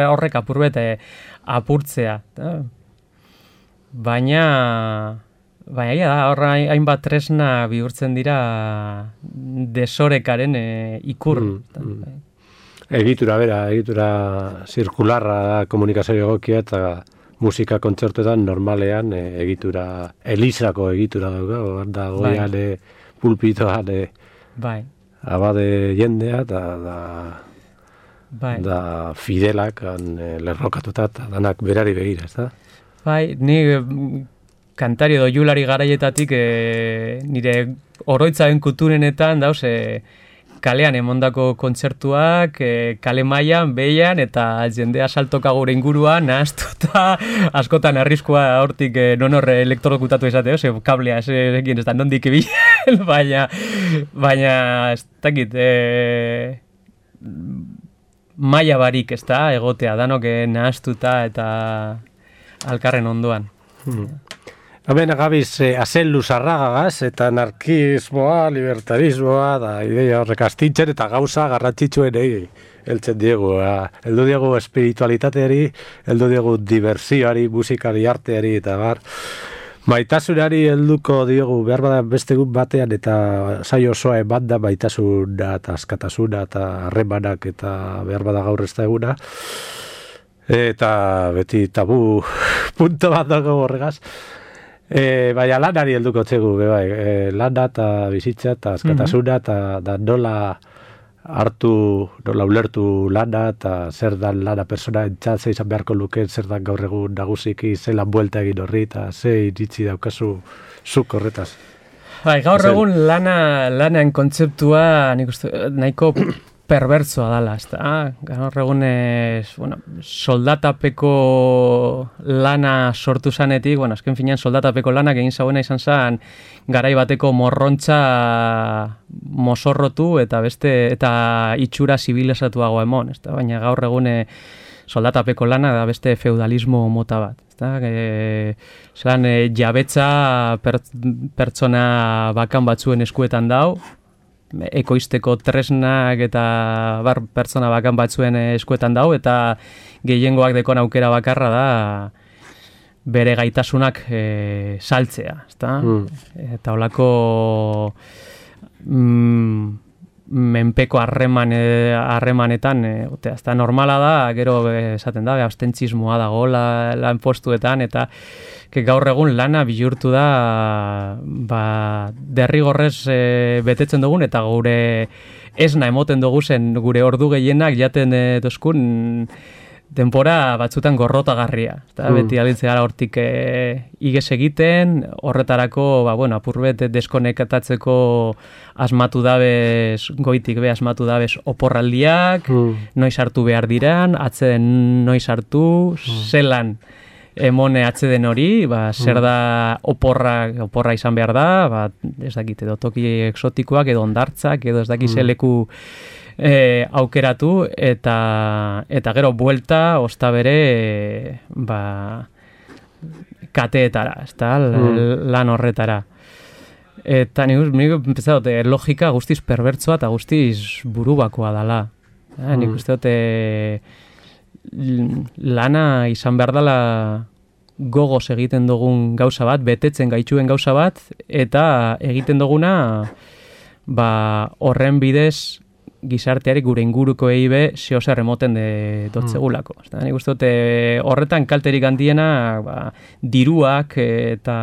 horrek apurbet e, apurtzea. Da? Baina, baina da, horra hainbat tresna bihurtzen dira desorekaren e, ikur. Mm, mm. Egitura, bera, egitura zirkularra da komunikazio egokia eta musika kontzertuetan normalean e, egitura, elizako egitura dauka, da goian bai. Pulpitoan e, bai. Abade jendea eta da, bai. Da fidelak an, e, lerrokatuta eta danak berari begira, ez da? Bai, ni kantari edo julari garaietatik e, nire oroitzaren kulturenetan dauz e, kalean emondako kontzertuak, e, kale mailan, behian, eta jendea saltoka gure inguruan, nahaztuta, askotan arriskua hortik e, non horre elektrokutatu esate, ose, kablea, ez egin ez da, nondik ebilen, baina, baina, ez dakit, e, maila barik, ez da, egotea, danok e, nahaztuta, eta alkarren ondoan. Hmm. Hemen gabiz eh, azellu zarragagaz eta anarkismoa, libertarismoa, da ideia horrek astintzen eta gauza garrantzitsuen egin. Eltzen diegu, heldu diegu espiritualitateari, heldu diegu diversioari, musikari, arteari eta bar. Maitasunari helduko diogu behar bada beste egun batean eta saio osoa eman da maitasuna eta askatasuna eta harremanak eta behar bada gaur ez da eguna. Eta beti tabu punto bat dago horregaz. E, baina lanari helduko txegu, bai, e, lana eta bizitza eta askatasuna eta da nola hartu, nola ulertu lana eta zer dan lana persona entzat, ze izan beharko luken, zer dan gaur egun nagusiki, ze lan buelta egin horri eta ze iritzi daukazu zuk horretaz. Bai, gaur egun lana, lanan kontzeptua nik uste, nahiko perbertsoa dala, ez da. Gaur egun ez, bueno, soldatapeko lana sortu zanetik, bueno, azken finean soldatapeko lanak egin zauena izan zen garai bateko morrontza mosorrotu eta beste eta itxura zibilizatuago emon, ez da. Baina gaur egun soldatapeko lana da beste feudalismo mota bat. Eta, e, zelan, e, jabetza per, pertsona bakan batzuen eskuetan dau, ekoizteko tresnak eta bar pertsona bakan batzuen eskuetan dau, eta gehiengoak dekon aukera bakarra da bere gaitasunak e, saltzea, ezta? Mm. Eta holako mm, menpeko harreman harremanetan e, ezta normala da, gero esaten da, abstentzismoa dago la, lan postuetan, eta gaur egun lana bihurtu da ba, derrigorrez e, betetzen dugun, eta gure esna emoten dugu zen gure ordu gehienak jaten e, dozkun denbora batzutan gorrotagarria. Eta mm. beti abiltzea gara hortik e, iges egiten, horretarako ba, bueno, apurbet deskonektatzeko asmatu dabez, goitik be asmatu dabez oporraldiak, mm. noiz hartu behar diran, atzeden noiz hartu, mm. zelan emone atzeden hori, ba, zer da oporra, oporra izan behar da, ba, ez dakit, edo toki exotikoak, edo ondartzak, edo ez dakit mm. leku e, aukeratu, eta eta gero buelta, osta bere, e, ba, kateetara, ez da, mm. lan horretara. Eta nik, nik empezat, logika guztiz perbertsoa eta guztiz burubakoa dala. Mm. Nik uste dute lana izan behar dela gogoz egiten dugun gauza bat, betetzen gaitxuen gauza bat, eta egiten duguna ba, horren bidez gizarteari gure inguruko eibe zehozer emoten de dotzegulako. Mm. Nik uste dute horretan kalterik handiena ba, diruak eta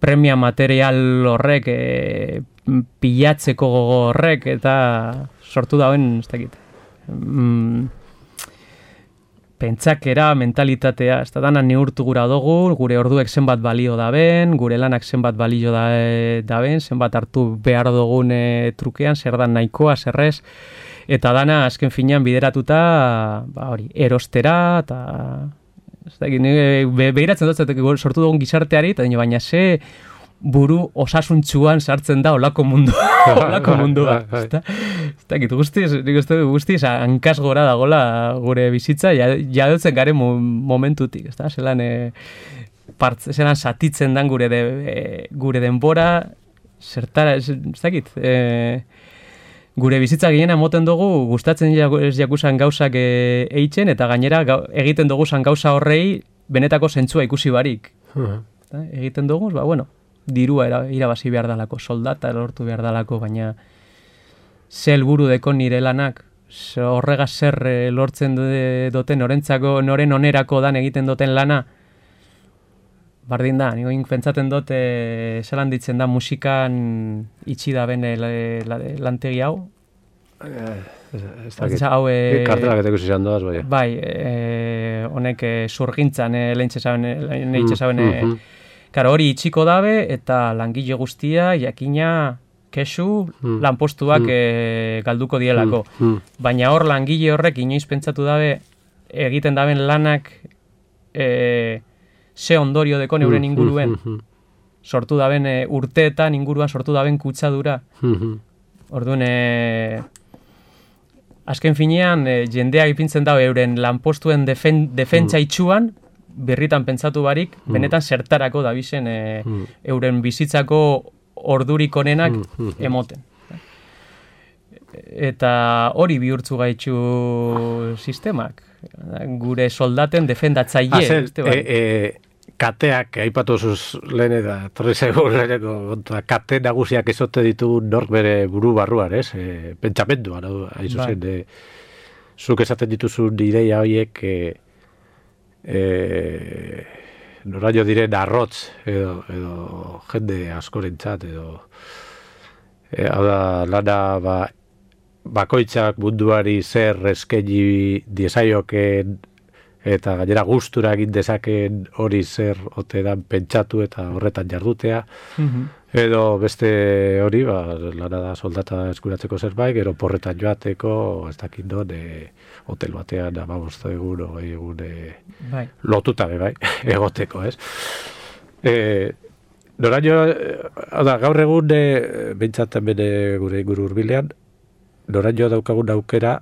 premia material horrek e, pilatzeko gogo horrek eta sortu dauen, ez dakit. Mm, pentsakera, mentalitatea, ez da dana neurtu gura dugu, gure orduek zenbat balio daben, gure lanak zenbat balio da, daben, zenbat hartu behar dugun e, trukean, zer da nahikoa, zerrez, eta dana azken finean bideratuta, ba hori, erostera, eta ez da, be, behiratzen dut, sortu dugun gizarteari, eta baina ze buru osasuntxuan sartzen da olako mundu, olako mundua. Ez da, guztiz, nik uste guztiz, hankaz gora dagola gure bizitza, jadotzen garen momentutik, ez da, zelan, e, partz, zelan satitzen dan gure, de, e, gure denbora, zertara, ez dakit, e, gure bizitza gehiena moten dugu, gustatzen ez jakusan gauzak e, eitzen, eta gainera ga, egiten dugu zan gauza horrei benetako zentzua ikusi barik. Uh-huh. Egiten dugu, ba, bueno, dirua irabazi behar dalako, soldata lortu behar dalako, baina ze helburu deko nire lanak, horrega zer lortzen duten, norentzako, noren onerako dan egiten duten lana, bardin da, niko pentsaten dut, e, zelan ditzen da musikan itxi da ben lantegi hau. Ez dakit, kartelak eteko zizan doaz, bai. Bai, honek zurgintzan, lehintxe zaben, karo hori itxiko dabe, eta langile guztia, jakina, kesu, mm. lanpostuak mm. e, galduko dielako. Mm. Baina hor langile horrek inoiz pentsatu dabe, egiten daben lanak e, ze ondorio deko neuren inguruen. Mm. Sortu daben e, urteetan inguruan sortu daben kutsadura. Mm. Orduan, e, azken finean, e, jendea ipintzen dabe euren lanpostuen defen, defentsa itxuan, berritan pentsatu barik, mm. benetan zertarako dabizen e, mm. euren bizitzako ordurik onenak mm. emoten. Eta hori bihurtzu gaitxu sistemak. Gure soldaten defendatzaile. Azen, e, e, kateak, aipatu zuz lehen eta torri zaigu leheneko, kate nagusiak ezote ditu nork bere buru barruan, ez? E, pentsamenduan, hain zuzen, e, zuk esaten dituzun ideia horiek, e, E, noraino diren arrotz edo, edo jende askorentzat edo e, hau da lana ba, bakoitzak munduari zer eskaini diezaioken eta gainera gustura egin dezaken hori zer ote dan pentsatu eta horretan jardutea. Mm-hmm. Edo beste hori, ba, lana da soldata eskuratzeko zerbait, gero porretan joateko, ez dakit non, e, hotel batean amabosta egun, ogei egun e, bai. Lotuta be, bai, egoteko, ez? E, noraino, da, gaur egun, e, behintzat bene gure inguru hurbilean, noraino daukagun aukera,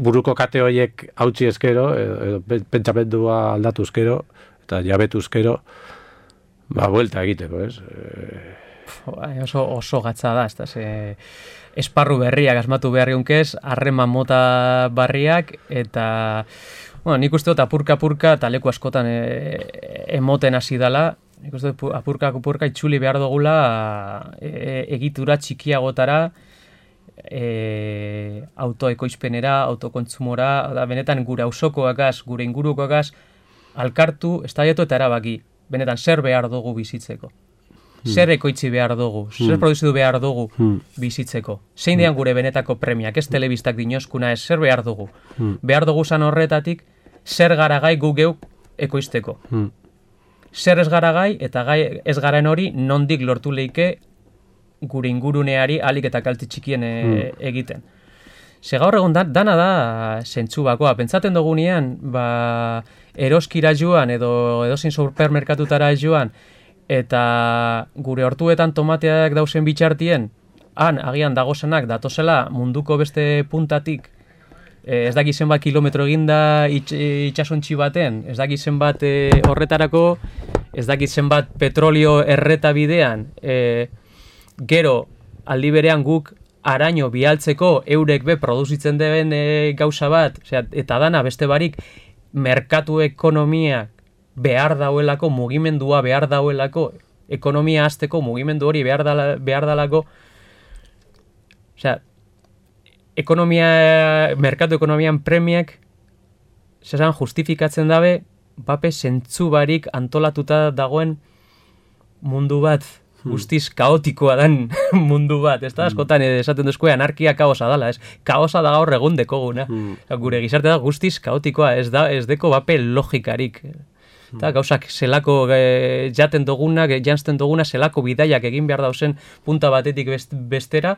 buruko kate horiek hautsi eskero, edo, edo pentsamendua aldatu eskero, eta jabetu eskero, ba, buelta egiteko, ez? E... Oso, oso gatza da, ez da, ze... esparru berriak asmatu behar geunkez, harreman mota barriak, eta, bueno, nik uste dut apurka-apurka, eta leku askotan e, emoten hasi dala, nik uste dut apurka-apurka itxuli behar dugula e, egitura txikiagotara, e, autoekoizpenera, autokontzumora, da, benetan gure auzokoagaz, gure ingurukoagaz, alkartu, estaiatu eta erabaki. Benetan, zer behar dugu bizitzeko? Hmm. Zer ekoitzi behar dugu? Hmm. Zer produzidu behar dugu hmm. bizitzeko? Zein dian gure benetako premiak? Ez telebistak dinoskuna ez, zer behar dugu? Hmm. Behar dugu zan horretatik, zer gara gai gu geuk ekoizteko? Hmm. Zer ez gara gai, eta gai ez garen hori, nondik lortu leike gure inguruneari alik eta kalte txikien e, hmm. egiten. Ze gaur egon da, dana da zentzu bakoa. Pentsaten dugunean, ba, eroskira joan edo edozein supermerkatutara joan eta gure hortuetan tomateak dauzen bitxartien, han agian dagozenak datozela munduko beste puntatik, ez daki zenbat kilometro eginda itx, itxasontxi baten, ez daki zenbat e, horretarako, ez daki zenbat petrolio erreta bidean, e, gero aldi berean guk araño bialtzeko eurek be produzitzen deben e, gauza bat, osea, eta dana beste barik merkatu ekonomia behar dauelako, mugimendua behar dauelako, ekonomia hasteko mugimendu hori behar, dala, behar dalako, osea, ekonomia, merkatu ekonomian premiak, zesan justifikatzen dabe, bape zentzu barik antolatuta dagoen mundu bat guztiz kaotikoa dan mundu bat, ez da? Askotan esaten duzko anarkia kaosa dala, ez? Kaosa da gaur egun dekoguna. Gure gizarte da guztiz kaotikoa, ez da, ez deko bape logikarik. Eta gauzak zelako e, jaten dugunak, jantzten duguna, zelako bidaiak egin behar dauzen punta batetik bestera,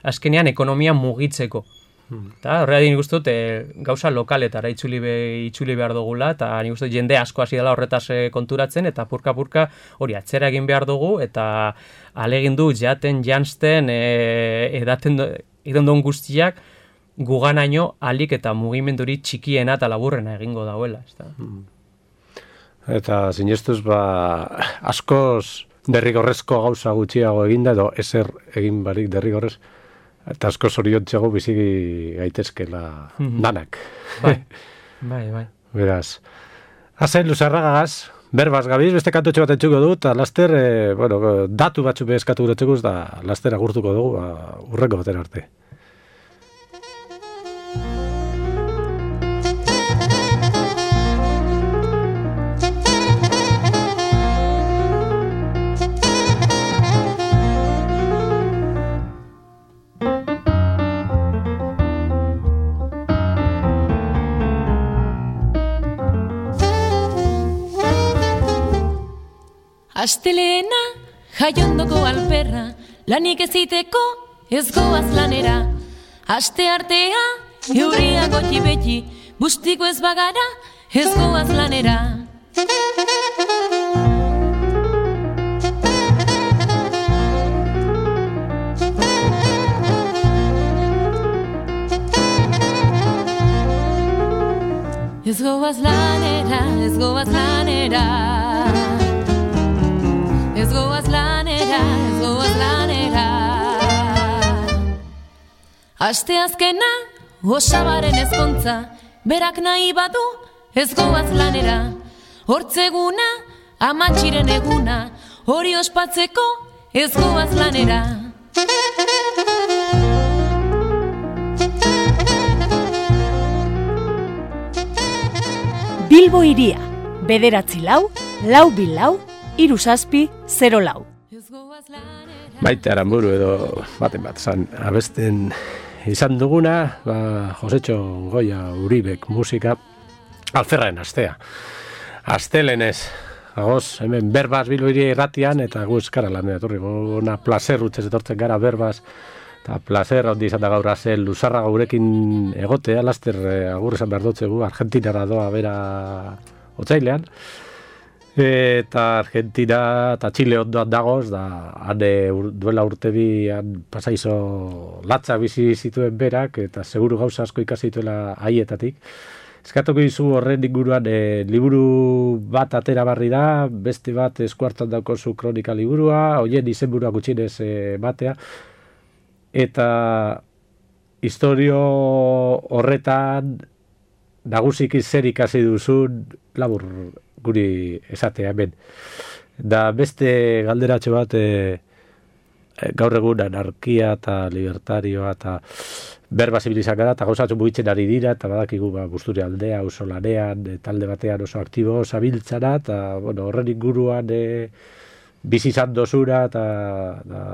azkenean ekonomia mugitzeko. Eta horregatik nik uste dut e, gauza lokaletara itzuli, be, itzuli behar dugula, eta nik uste dut jende asko hasi dela horretaz e, konturatzen, eta purka-purka hori atzera egin behar dugu, eta alegin du jaten, jantzten, e, edaten egiten duen guztiak, guganaino alik eta mugimenduri txikiena eta laburrena egingo dauela. Ez da? Eta zinestuz, ba, askoz derrigorrezko gauza gutxiago eginda, edo ezer egin barik derrigorrez, eta askoz oriontxeago bizi gaitezkela danak. Bai, bai, bai. Beraz, hazen luzarragaz, berbaz gabiz, beste kantotxe bat entzuko dut, eta laster, e, bueno, datu batzu behezkatu guretzekuz, da laster agurtuko dugu, ba, urreko baten arte. Astelena, jaiondoko alperra, lanik eziteko ez goaz lanera. Aste artea, euria goti beti, bustiko ez bagara ez goaz lanera. Ez goaz lanera, ez goaz lanera. Ez goaz lanera, ez goaz lanera. Aste azkena, osabaren ezkontza, berak nahi badu, ez goaz lanera. Hortzeguna, amatxiren eguna, hori ospatzeko, ez goaz lanera. Bilbo Hiria, bederatzi lau, lau bil lau, hiru zazpi, zero lau. Maite Aramburu edo baten bat zan abesten izan duguna, ba, Josetxo Goia Uribek musika alferraen astea. Astelenez, agoz, hemen berbaz Bilbo Hiria irratian, eta gu eskara lan etorri, gona placer utzez etortzen gara berbaz, eta placer handi izan da gaur azel luzarra gaurekin egotea, laster eh, agur esan behar dutzegu, Argentinara doa bera otzailean, eta Argentina eta Txile ondoan dagoz, da hane ur, duela urte bi pasaizo latza bizi zituen berak, eta seguru gauza asko ikasi zituela haietatik. Eskatuko dizu horren inguruan e, liburu bat atera barri da, beste bat eskuartan daukozu kronika liburua, hoien izenburua gutxinez e, batea, eta historio horretan nagusiki zer ikasi duzun labur guri esatea hemen. Da beste galderatxo bat e, gaur egun anarkia eta libertarioa eta berba zibilizak gara, eta gauzatzu mugitzen ari dira, eta badakigu ba, Busturi aldea, oso lanean, e, talde batean oso aktibo zabiltzara, eta bueno, horren inguruan e, bizi izan dozura, eta da,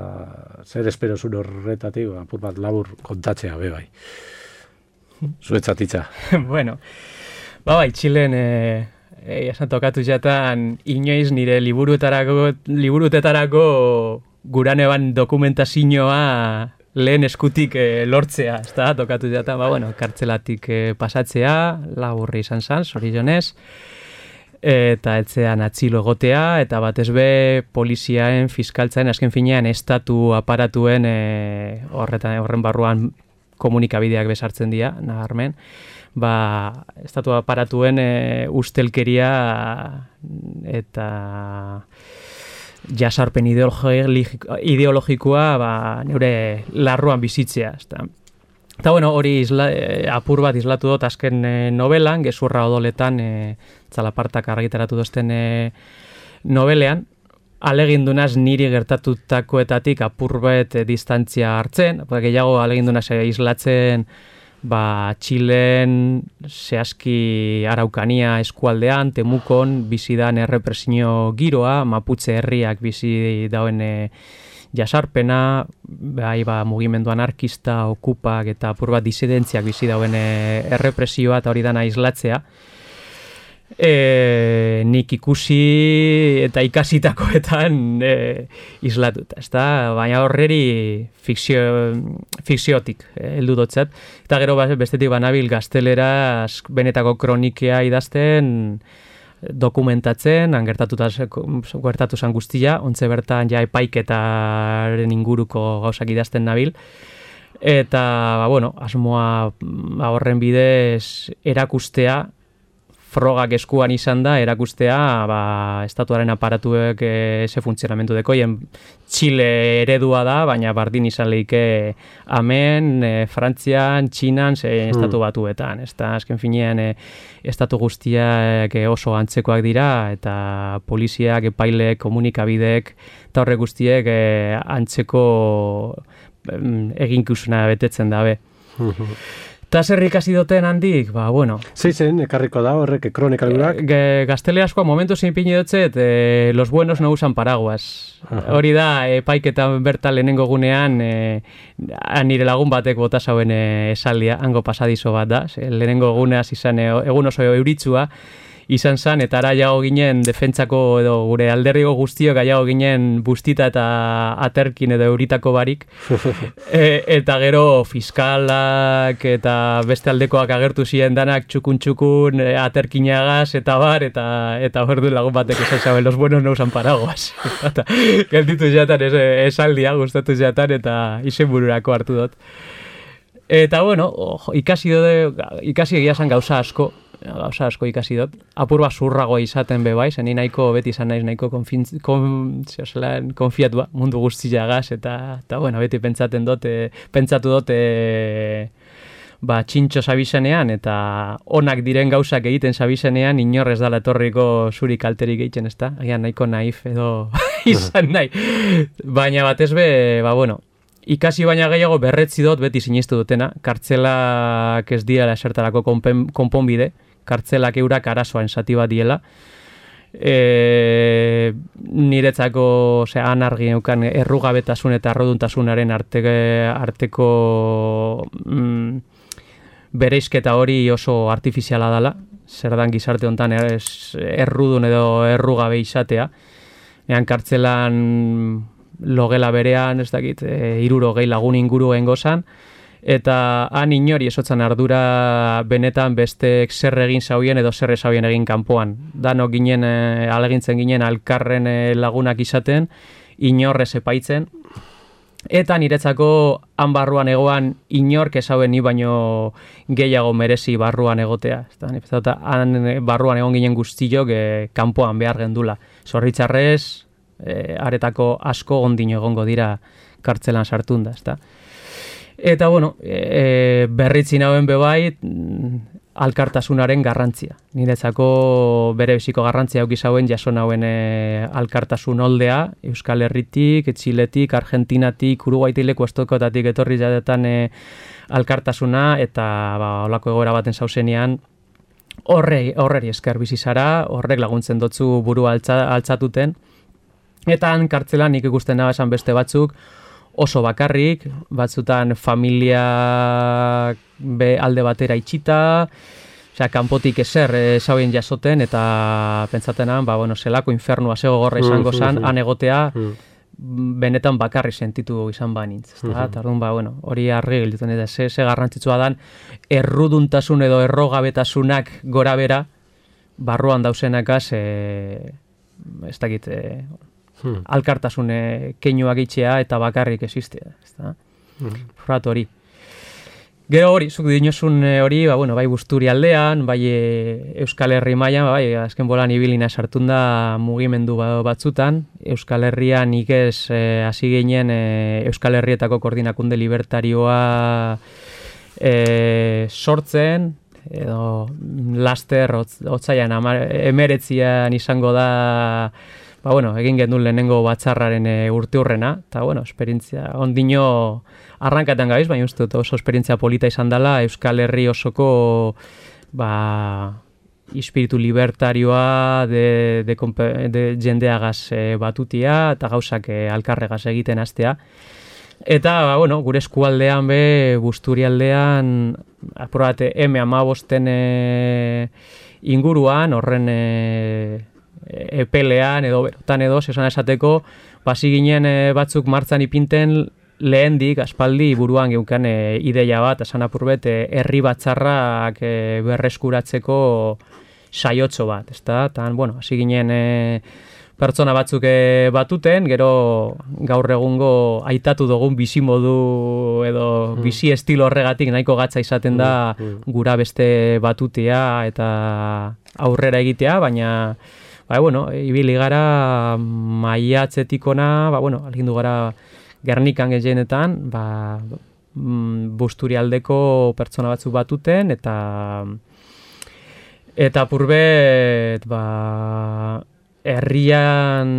zer espero zuen horretatik, apur bat labur kontatzea, be bai. Zuetzatitza. Bueno, ba bai, Txilen... E... Egia esan tokatu jatan inoiz nire liburuetarako, liburutetarako guraneban dokumentazioa lehen eskutik e, lortzea, ez da, tokatu jatan, ba, bueno, kartzelatik e, pasatzea, laburri izan zan, zorionez, eta etzean atzilo egotea, eta batez be poliziaen, fiskaltzaen, azken finean, estatu aparatuen e, horretan, horren barruan komunikabideak besartzen dira, nabarmen, ba, estatu aparatuen e, ustelkeria eta jasarpen ideologikoa ba, neure larruan bizitzea. Ezta. Eta bueno, hori isla, e, apur bat islatu dut azken e, novelan, gezurra odoletan, e, Txalapartak argitaratu dozten e, novelean, alegindunaz niri gertatutakoetatik apur bat e, distantzia hartzen, gehiago alegindunaz e, islatzen ba, Txilen, zehazki Araukania eskualdean, Temukon, bizidan errepresio giroa, Maputxe herriak bizi dauen e, jasarpena, bai, ba, mugimendu anarkista, okupak eta apur bat disidentziak bizi dauen e, errepresioa eta hori dana islatzea. E, nik ikusi eta ikasitakoetan e, islatuta, ezta? Baina horreri fikzio, fikziotik heldu dotzat. Eta gero bestetik banabil gaztelera benetako kronikea idazten, dokumentatzen, han gertatuta gertatu zan guztia, ontze bertan ja epaiketaren inguruko gauzak idazten nabil. Eta, ba, bueno, asmoa ba, horren bidez erakustea, frogak eskuan izan da, erakustea, ba, estatuaren aparatuek e, ze funtzionamentu dekoien. Txile eredua da, baina bardin izan lehike hemen, e, Frantzian, Txinan, ze mm. estatu batuetan. Ez da, azken finean, e, estatu guztiak e, oso antzekoak dira, eta poliziak, epaileek, komunikabideek, eta horrek guztiek e, antzeko eginkizuna betetzen dabe. Eta zer ikasi duten handik, ba, bueno. Zeizen, ekarriko da horrek kronikalurak? E, gazteleaskoa momentu zein pini dutzet, e, los buenos no usan paraguas. Aha. Hori da, epaiketan bertan lehenengo gunean, e, nire lagun batek bota zauen e, esaldia, hango pasadizo bat da. Lehenengo guneaz izan, e, egun oso euritzua, izan zan, eta ara jago ginen defentsako edo gure alderriko guztiok jago ginen bustita eta aterkin edo euritako barik. e, eta gero fiskalak eta beste aldekoak agertu ziren danak txukun-txukun e, aterkinagaz eta bar, eta eta hor du lagun batek esan zaben, los buenos no usan paraguas. Eta gelditu jatan esaldia, gustatu jatan, eta izen bururako hartu dut. Eta bueno, oh, ikasi dode, ikasi egia zan gauza asko, gauza asko ikasi dut. Apur bat zurragoa izaten be bai, zen nahiko beti izan naiz nahiko konfintz, kon, konfiatua mundu guztiagaz, eta, eta bueno, beti pentsaten dut, e, pentsatu dut, e, ba, txintxo zabizenean, eta onak diren gauzak egiten zabizenean, inorrez dala etorriko zuri kalterik egiten, ez da? Agian nahiko naif edo izan nahi. Baina batez be, ba, bueno, ikasi baina gehiago berretzi dut beti sinistu dutena, kartzelak ez diela esertarako konponbide, kartzelak eurak arazoan zati bat diela. E, niretzako ose, anargi eukan errugabetasun eta arroduntasunaren arte, arteko mm, bereizketa hori oso artifiziala dela, zer dan gizarte honetan errudun edo errugabe izatea. Ean kartzelan logela berean, ez dakit, e, iruro gehi lagun inguru engozan, eta han inori esotzan ardura benetan bestek zer egin zauien edo zer ezauien egin kanpoan. Danok ginen, e, alegintzen ginen alkarren e, lagunak izaten, inorrez epaitzen, eta niretzako han barruan egoan inork ezauen ni baino gehiago merezi barruan egotea. Eta han barruan egon ginen guztiok e, kanpoan behar gendula. Zorritzarrez, E, aretako asko ondino egongo dira kartzelan sartunda, ezta. Eta, bueno, e, berritzi nauen bebai alkartasunaren garrantzia. Niretzako bere biziko garrantzia auki zauen jaso nauen e, alkartasun oldea, Euskal Herritik, Txiletik, Argentinatik, Uruguaitik leku estokotatik etorri jadetan e, alkartasuna, eta ba, olako egoera baten zauzenean, horrei, horreri esker bizi zara, horrek laguntzen dotzu burua altza, altzatuten. Eta han kartzelan nik ikusten nahi esan beste batzuk oso bakarrik, batzutan familia be alde batera itxita, osea, kanpotik ezer ezauen jasoten, eta pentsatenan, ba, bueno, zelako infernua zego gorra izango zan, han egotea, benetan bakarri sentitu izan banintz. Eta, orduan, ba, bueno, hori argi gilduten, eta ze, ze garrantzitsua dan, erruduntasun edo errogabetasunak gora bera, barruan dauzenakaz, e, ez dakit, e, Hmm. alkartasune keinuak itxea eta bakarrik existea, ezta? Hmm. Frat hori. Gero hori, zuk dinozun hori, ba, bueno, bai Busturialdean, bai Euskal Herri mailan, bai azken bolan ibilina sartun da mugimendu batzutan. Euskal Herrian nik ez hasi e, ginen e, Euskal Herrietako koordinakunde libertarioa e, sortzen, edo laster otzaian emeretzian izango da. Ba, bueno, egin gendun lehenengo batzarraren e, urte hurrena, eta, bueno, esperientzia ondino arrankatan gabiz, baina uste dut oso esperientzia polita izan dela Euskal Herri osoko ba, espiritu libertarioa de, de, de jendeagaz e, batutia eta gauzak e, alkarregaz egiten hastea. Eta, ba, bueno, gure eskualdean be, Busturialdean, aprobate eme hamabosten e, inguruan, horren e, epelean edo berotan edo, esan esateko, basi ginen e, batzuk martzan ipinten lehendik, aspaldi buruan geukan e, ideia bat, esan apurbet, e, herri batzarrak e, berreskuratzeko saiotxo bat, ezta? Tan, bueno, hasi ginen e, pertsona batzuk e, batuten, gero gaur egungo aitatu dugun bizimodu edo mm. bizi estilo horregatik nahiko gatza izaten da mm. gura beste batutea eta aurrera egitea, baina ba, bueno, ibili gara maiatzetikona, ba, bueno, algindu gara Gernikan gehienetan, ba, Busturialdeko pertsona batzuk batuten, eta eta purbet, ba, herrian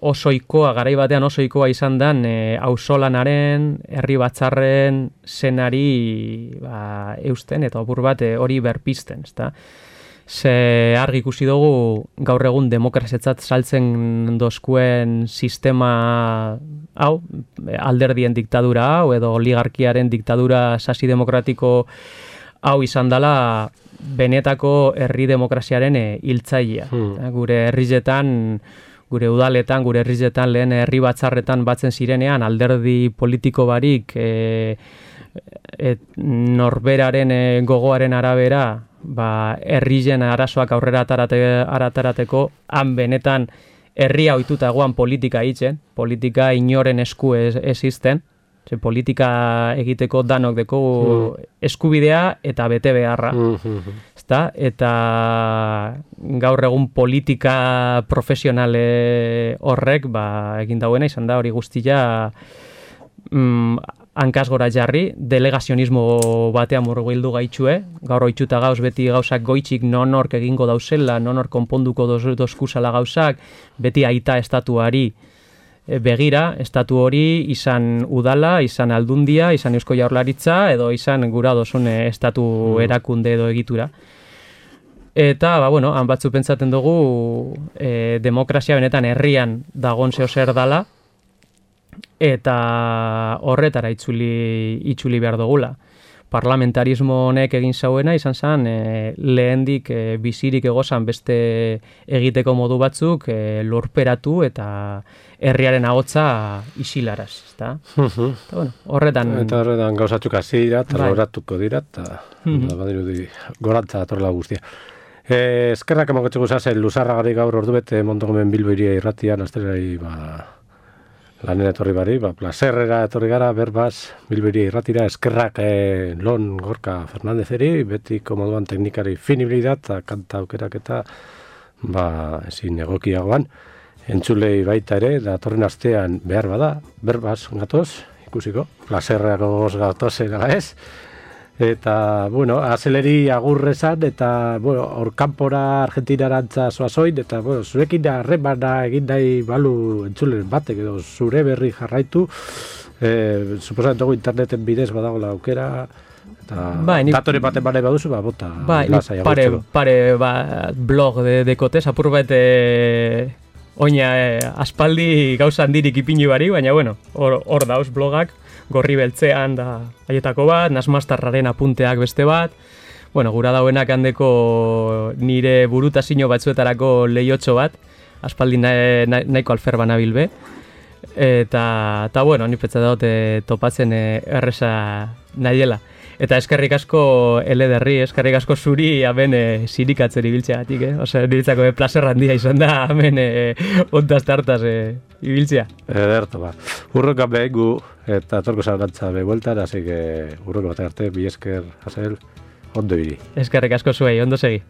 osoikoa, garai batean osoikoa izan dan, e, auzolanaren, herri batzarren zenari ba, eusten, eta opur bat e, hori berpisten, ezta? Ze argi ikusi dugu gaur egun demokraziatzat saltzen dozkuen sistema hau, alderdien diktadura hau, edo oligarkiaren diktadura sasi demokratiko hau izan dela benetako herri demokraziaren hiltzailea. Hmm. Gure herrizetan, gure udaletan, gure herrizetan lehen herri batzarretan batzen zirenean alderdi politiko barik e, e, norberaren e, gogoaren arabera ba, herrien arazoak aurrera atarate, aratarateko, han benetan herria ohituta egoan politika hitzen, politika inoren esku ez, ezisten, ze politika egiteko danok deko mm. eskubidea eta bete beharra. Mm-hmm. Ezta? Eta gaur egun politika profesionale horrek ba, egin dauena izan da hori guztia mm, hankaz gora jarri, delegazionismo batean murgildu gaitxue, gaur oitxuta gauz beti gauzak goitxik nonork egingo dauzela, nonork konponduko dozkuzala gauzak, beti aita estatuari begira, estatu hori izan udala, izan aldundia, izan Eusko Jaurlaritza, edo izan gura dozun estatu erakunde edo egitura. Eta, ba, bueno, han batzu pentsaten dugu e, demokrazia benetan herrian dagon zeo zer dala, eta horretara itzuli, itzuli behar dugula. Parlamentarismo honek egin zauena izan zen e, lehendik e, bizirik egozan beste egiteko modu batzuk e, lurperatu eta herriaren ahotsa isilaraz, ezta? Uh-huh. Eta, bueno, horretan... Eta horretan gauzatzuk hasi dira, eta loratuko dira, eta uh-huh. badirudi gorantza atorla guztia. E, eskerrak emoketxeko zazen, luzarra gari gaur ordu bete Montogomen Bilbo iria irratian, azterari, ba... lanera etorri bari, ba, plazerrera etorri gara, berbaz, Bilberia irratira, eskerrak eh, Lon Gorka Fernandezeri, betiko moduan teknikari finibilidat, eta kanta aukerak eta ba, ezin egokiagoan, entzulei baita ere, da torren astean behar bada, berbaz, gatoz, ikusiko, plazerrako goz gatozen, ala ez? Eta, bueno, azeleri agurrezan, eta, bueno, orkanpora Argentinarantza zoazoin, eta, bueno, zurekin harremana egin nahi balu entzulen batek, edo zure berri jarraitu, e, suposatzen dugu interneten bidez badagoela aukera, eta ba, ni, datore baten bane baduzu, ba, bota, ba, lasai pare, pare ba, blog de, dekotez, apur bat, e, oina, e, aspaldi gauza handirik ipini bari, baina, bueno, hor, hor dauz blogak, gorri beltzean da haietako bat, nasmastarraren apunteak beste bat, bueno, gura dauenak handeko nire burutazio batzuetarako lehiotxo bat, aspaldi nahi, nahi, nahiko alfer banabil be, eta, eta bueno, ni petza daute topatzen erresa nahiela. Eta eskerrik asko elederri, eskerrik asko zuri hemen e, zirikatzen ibiltzeagatik, eh? Ose, niretzako e, plazer handia izan da hemen e, ontaz tartaz e, ibiltzea. Ederto, ba. Urroka behigu eta torko zaurantza behueltan, así que urroko bat arte, bi esker, Azel, ondo biri. Eskerrik asko zuei, ondo segi.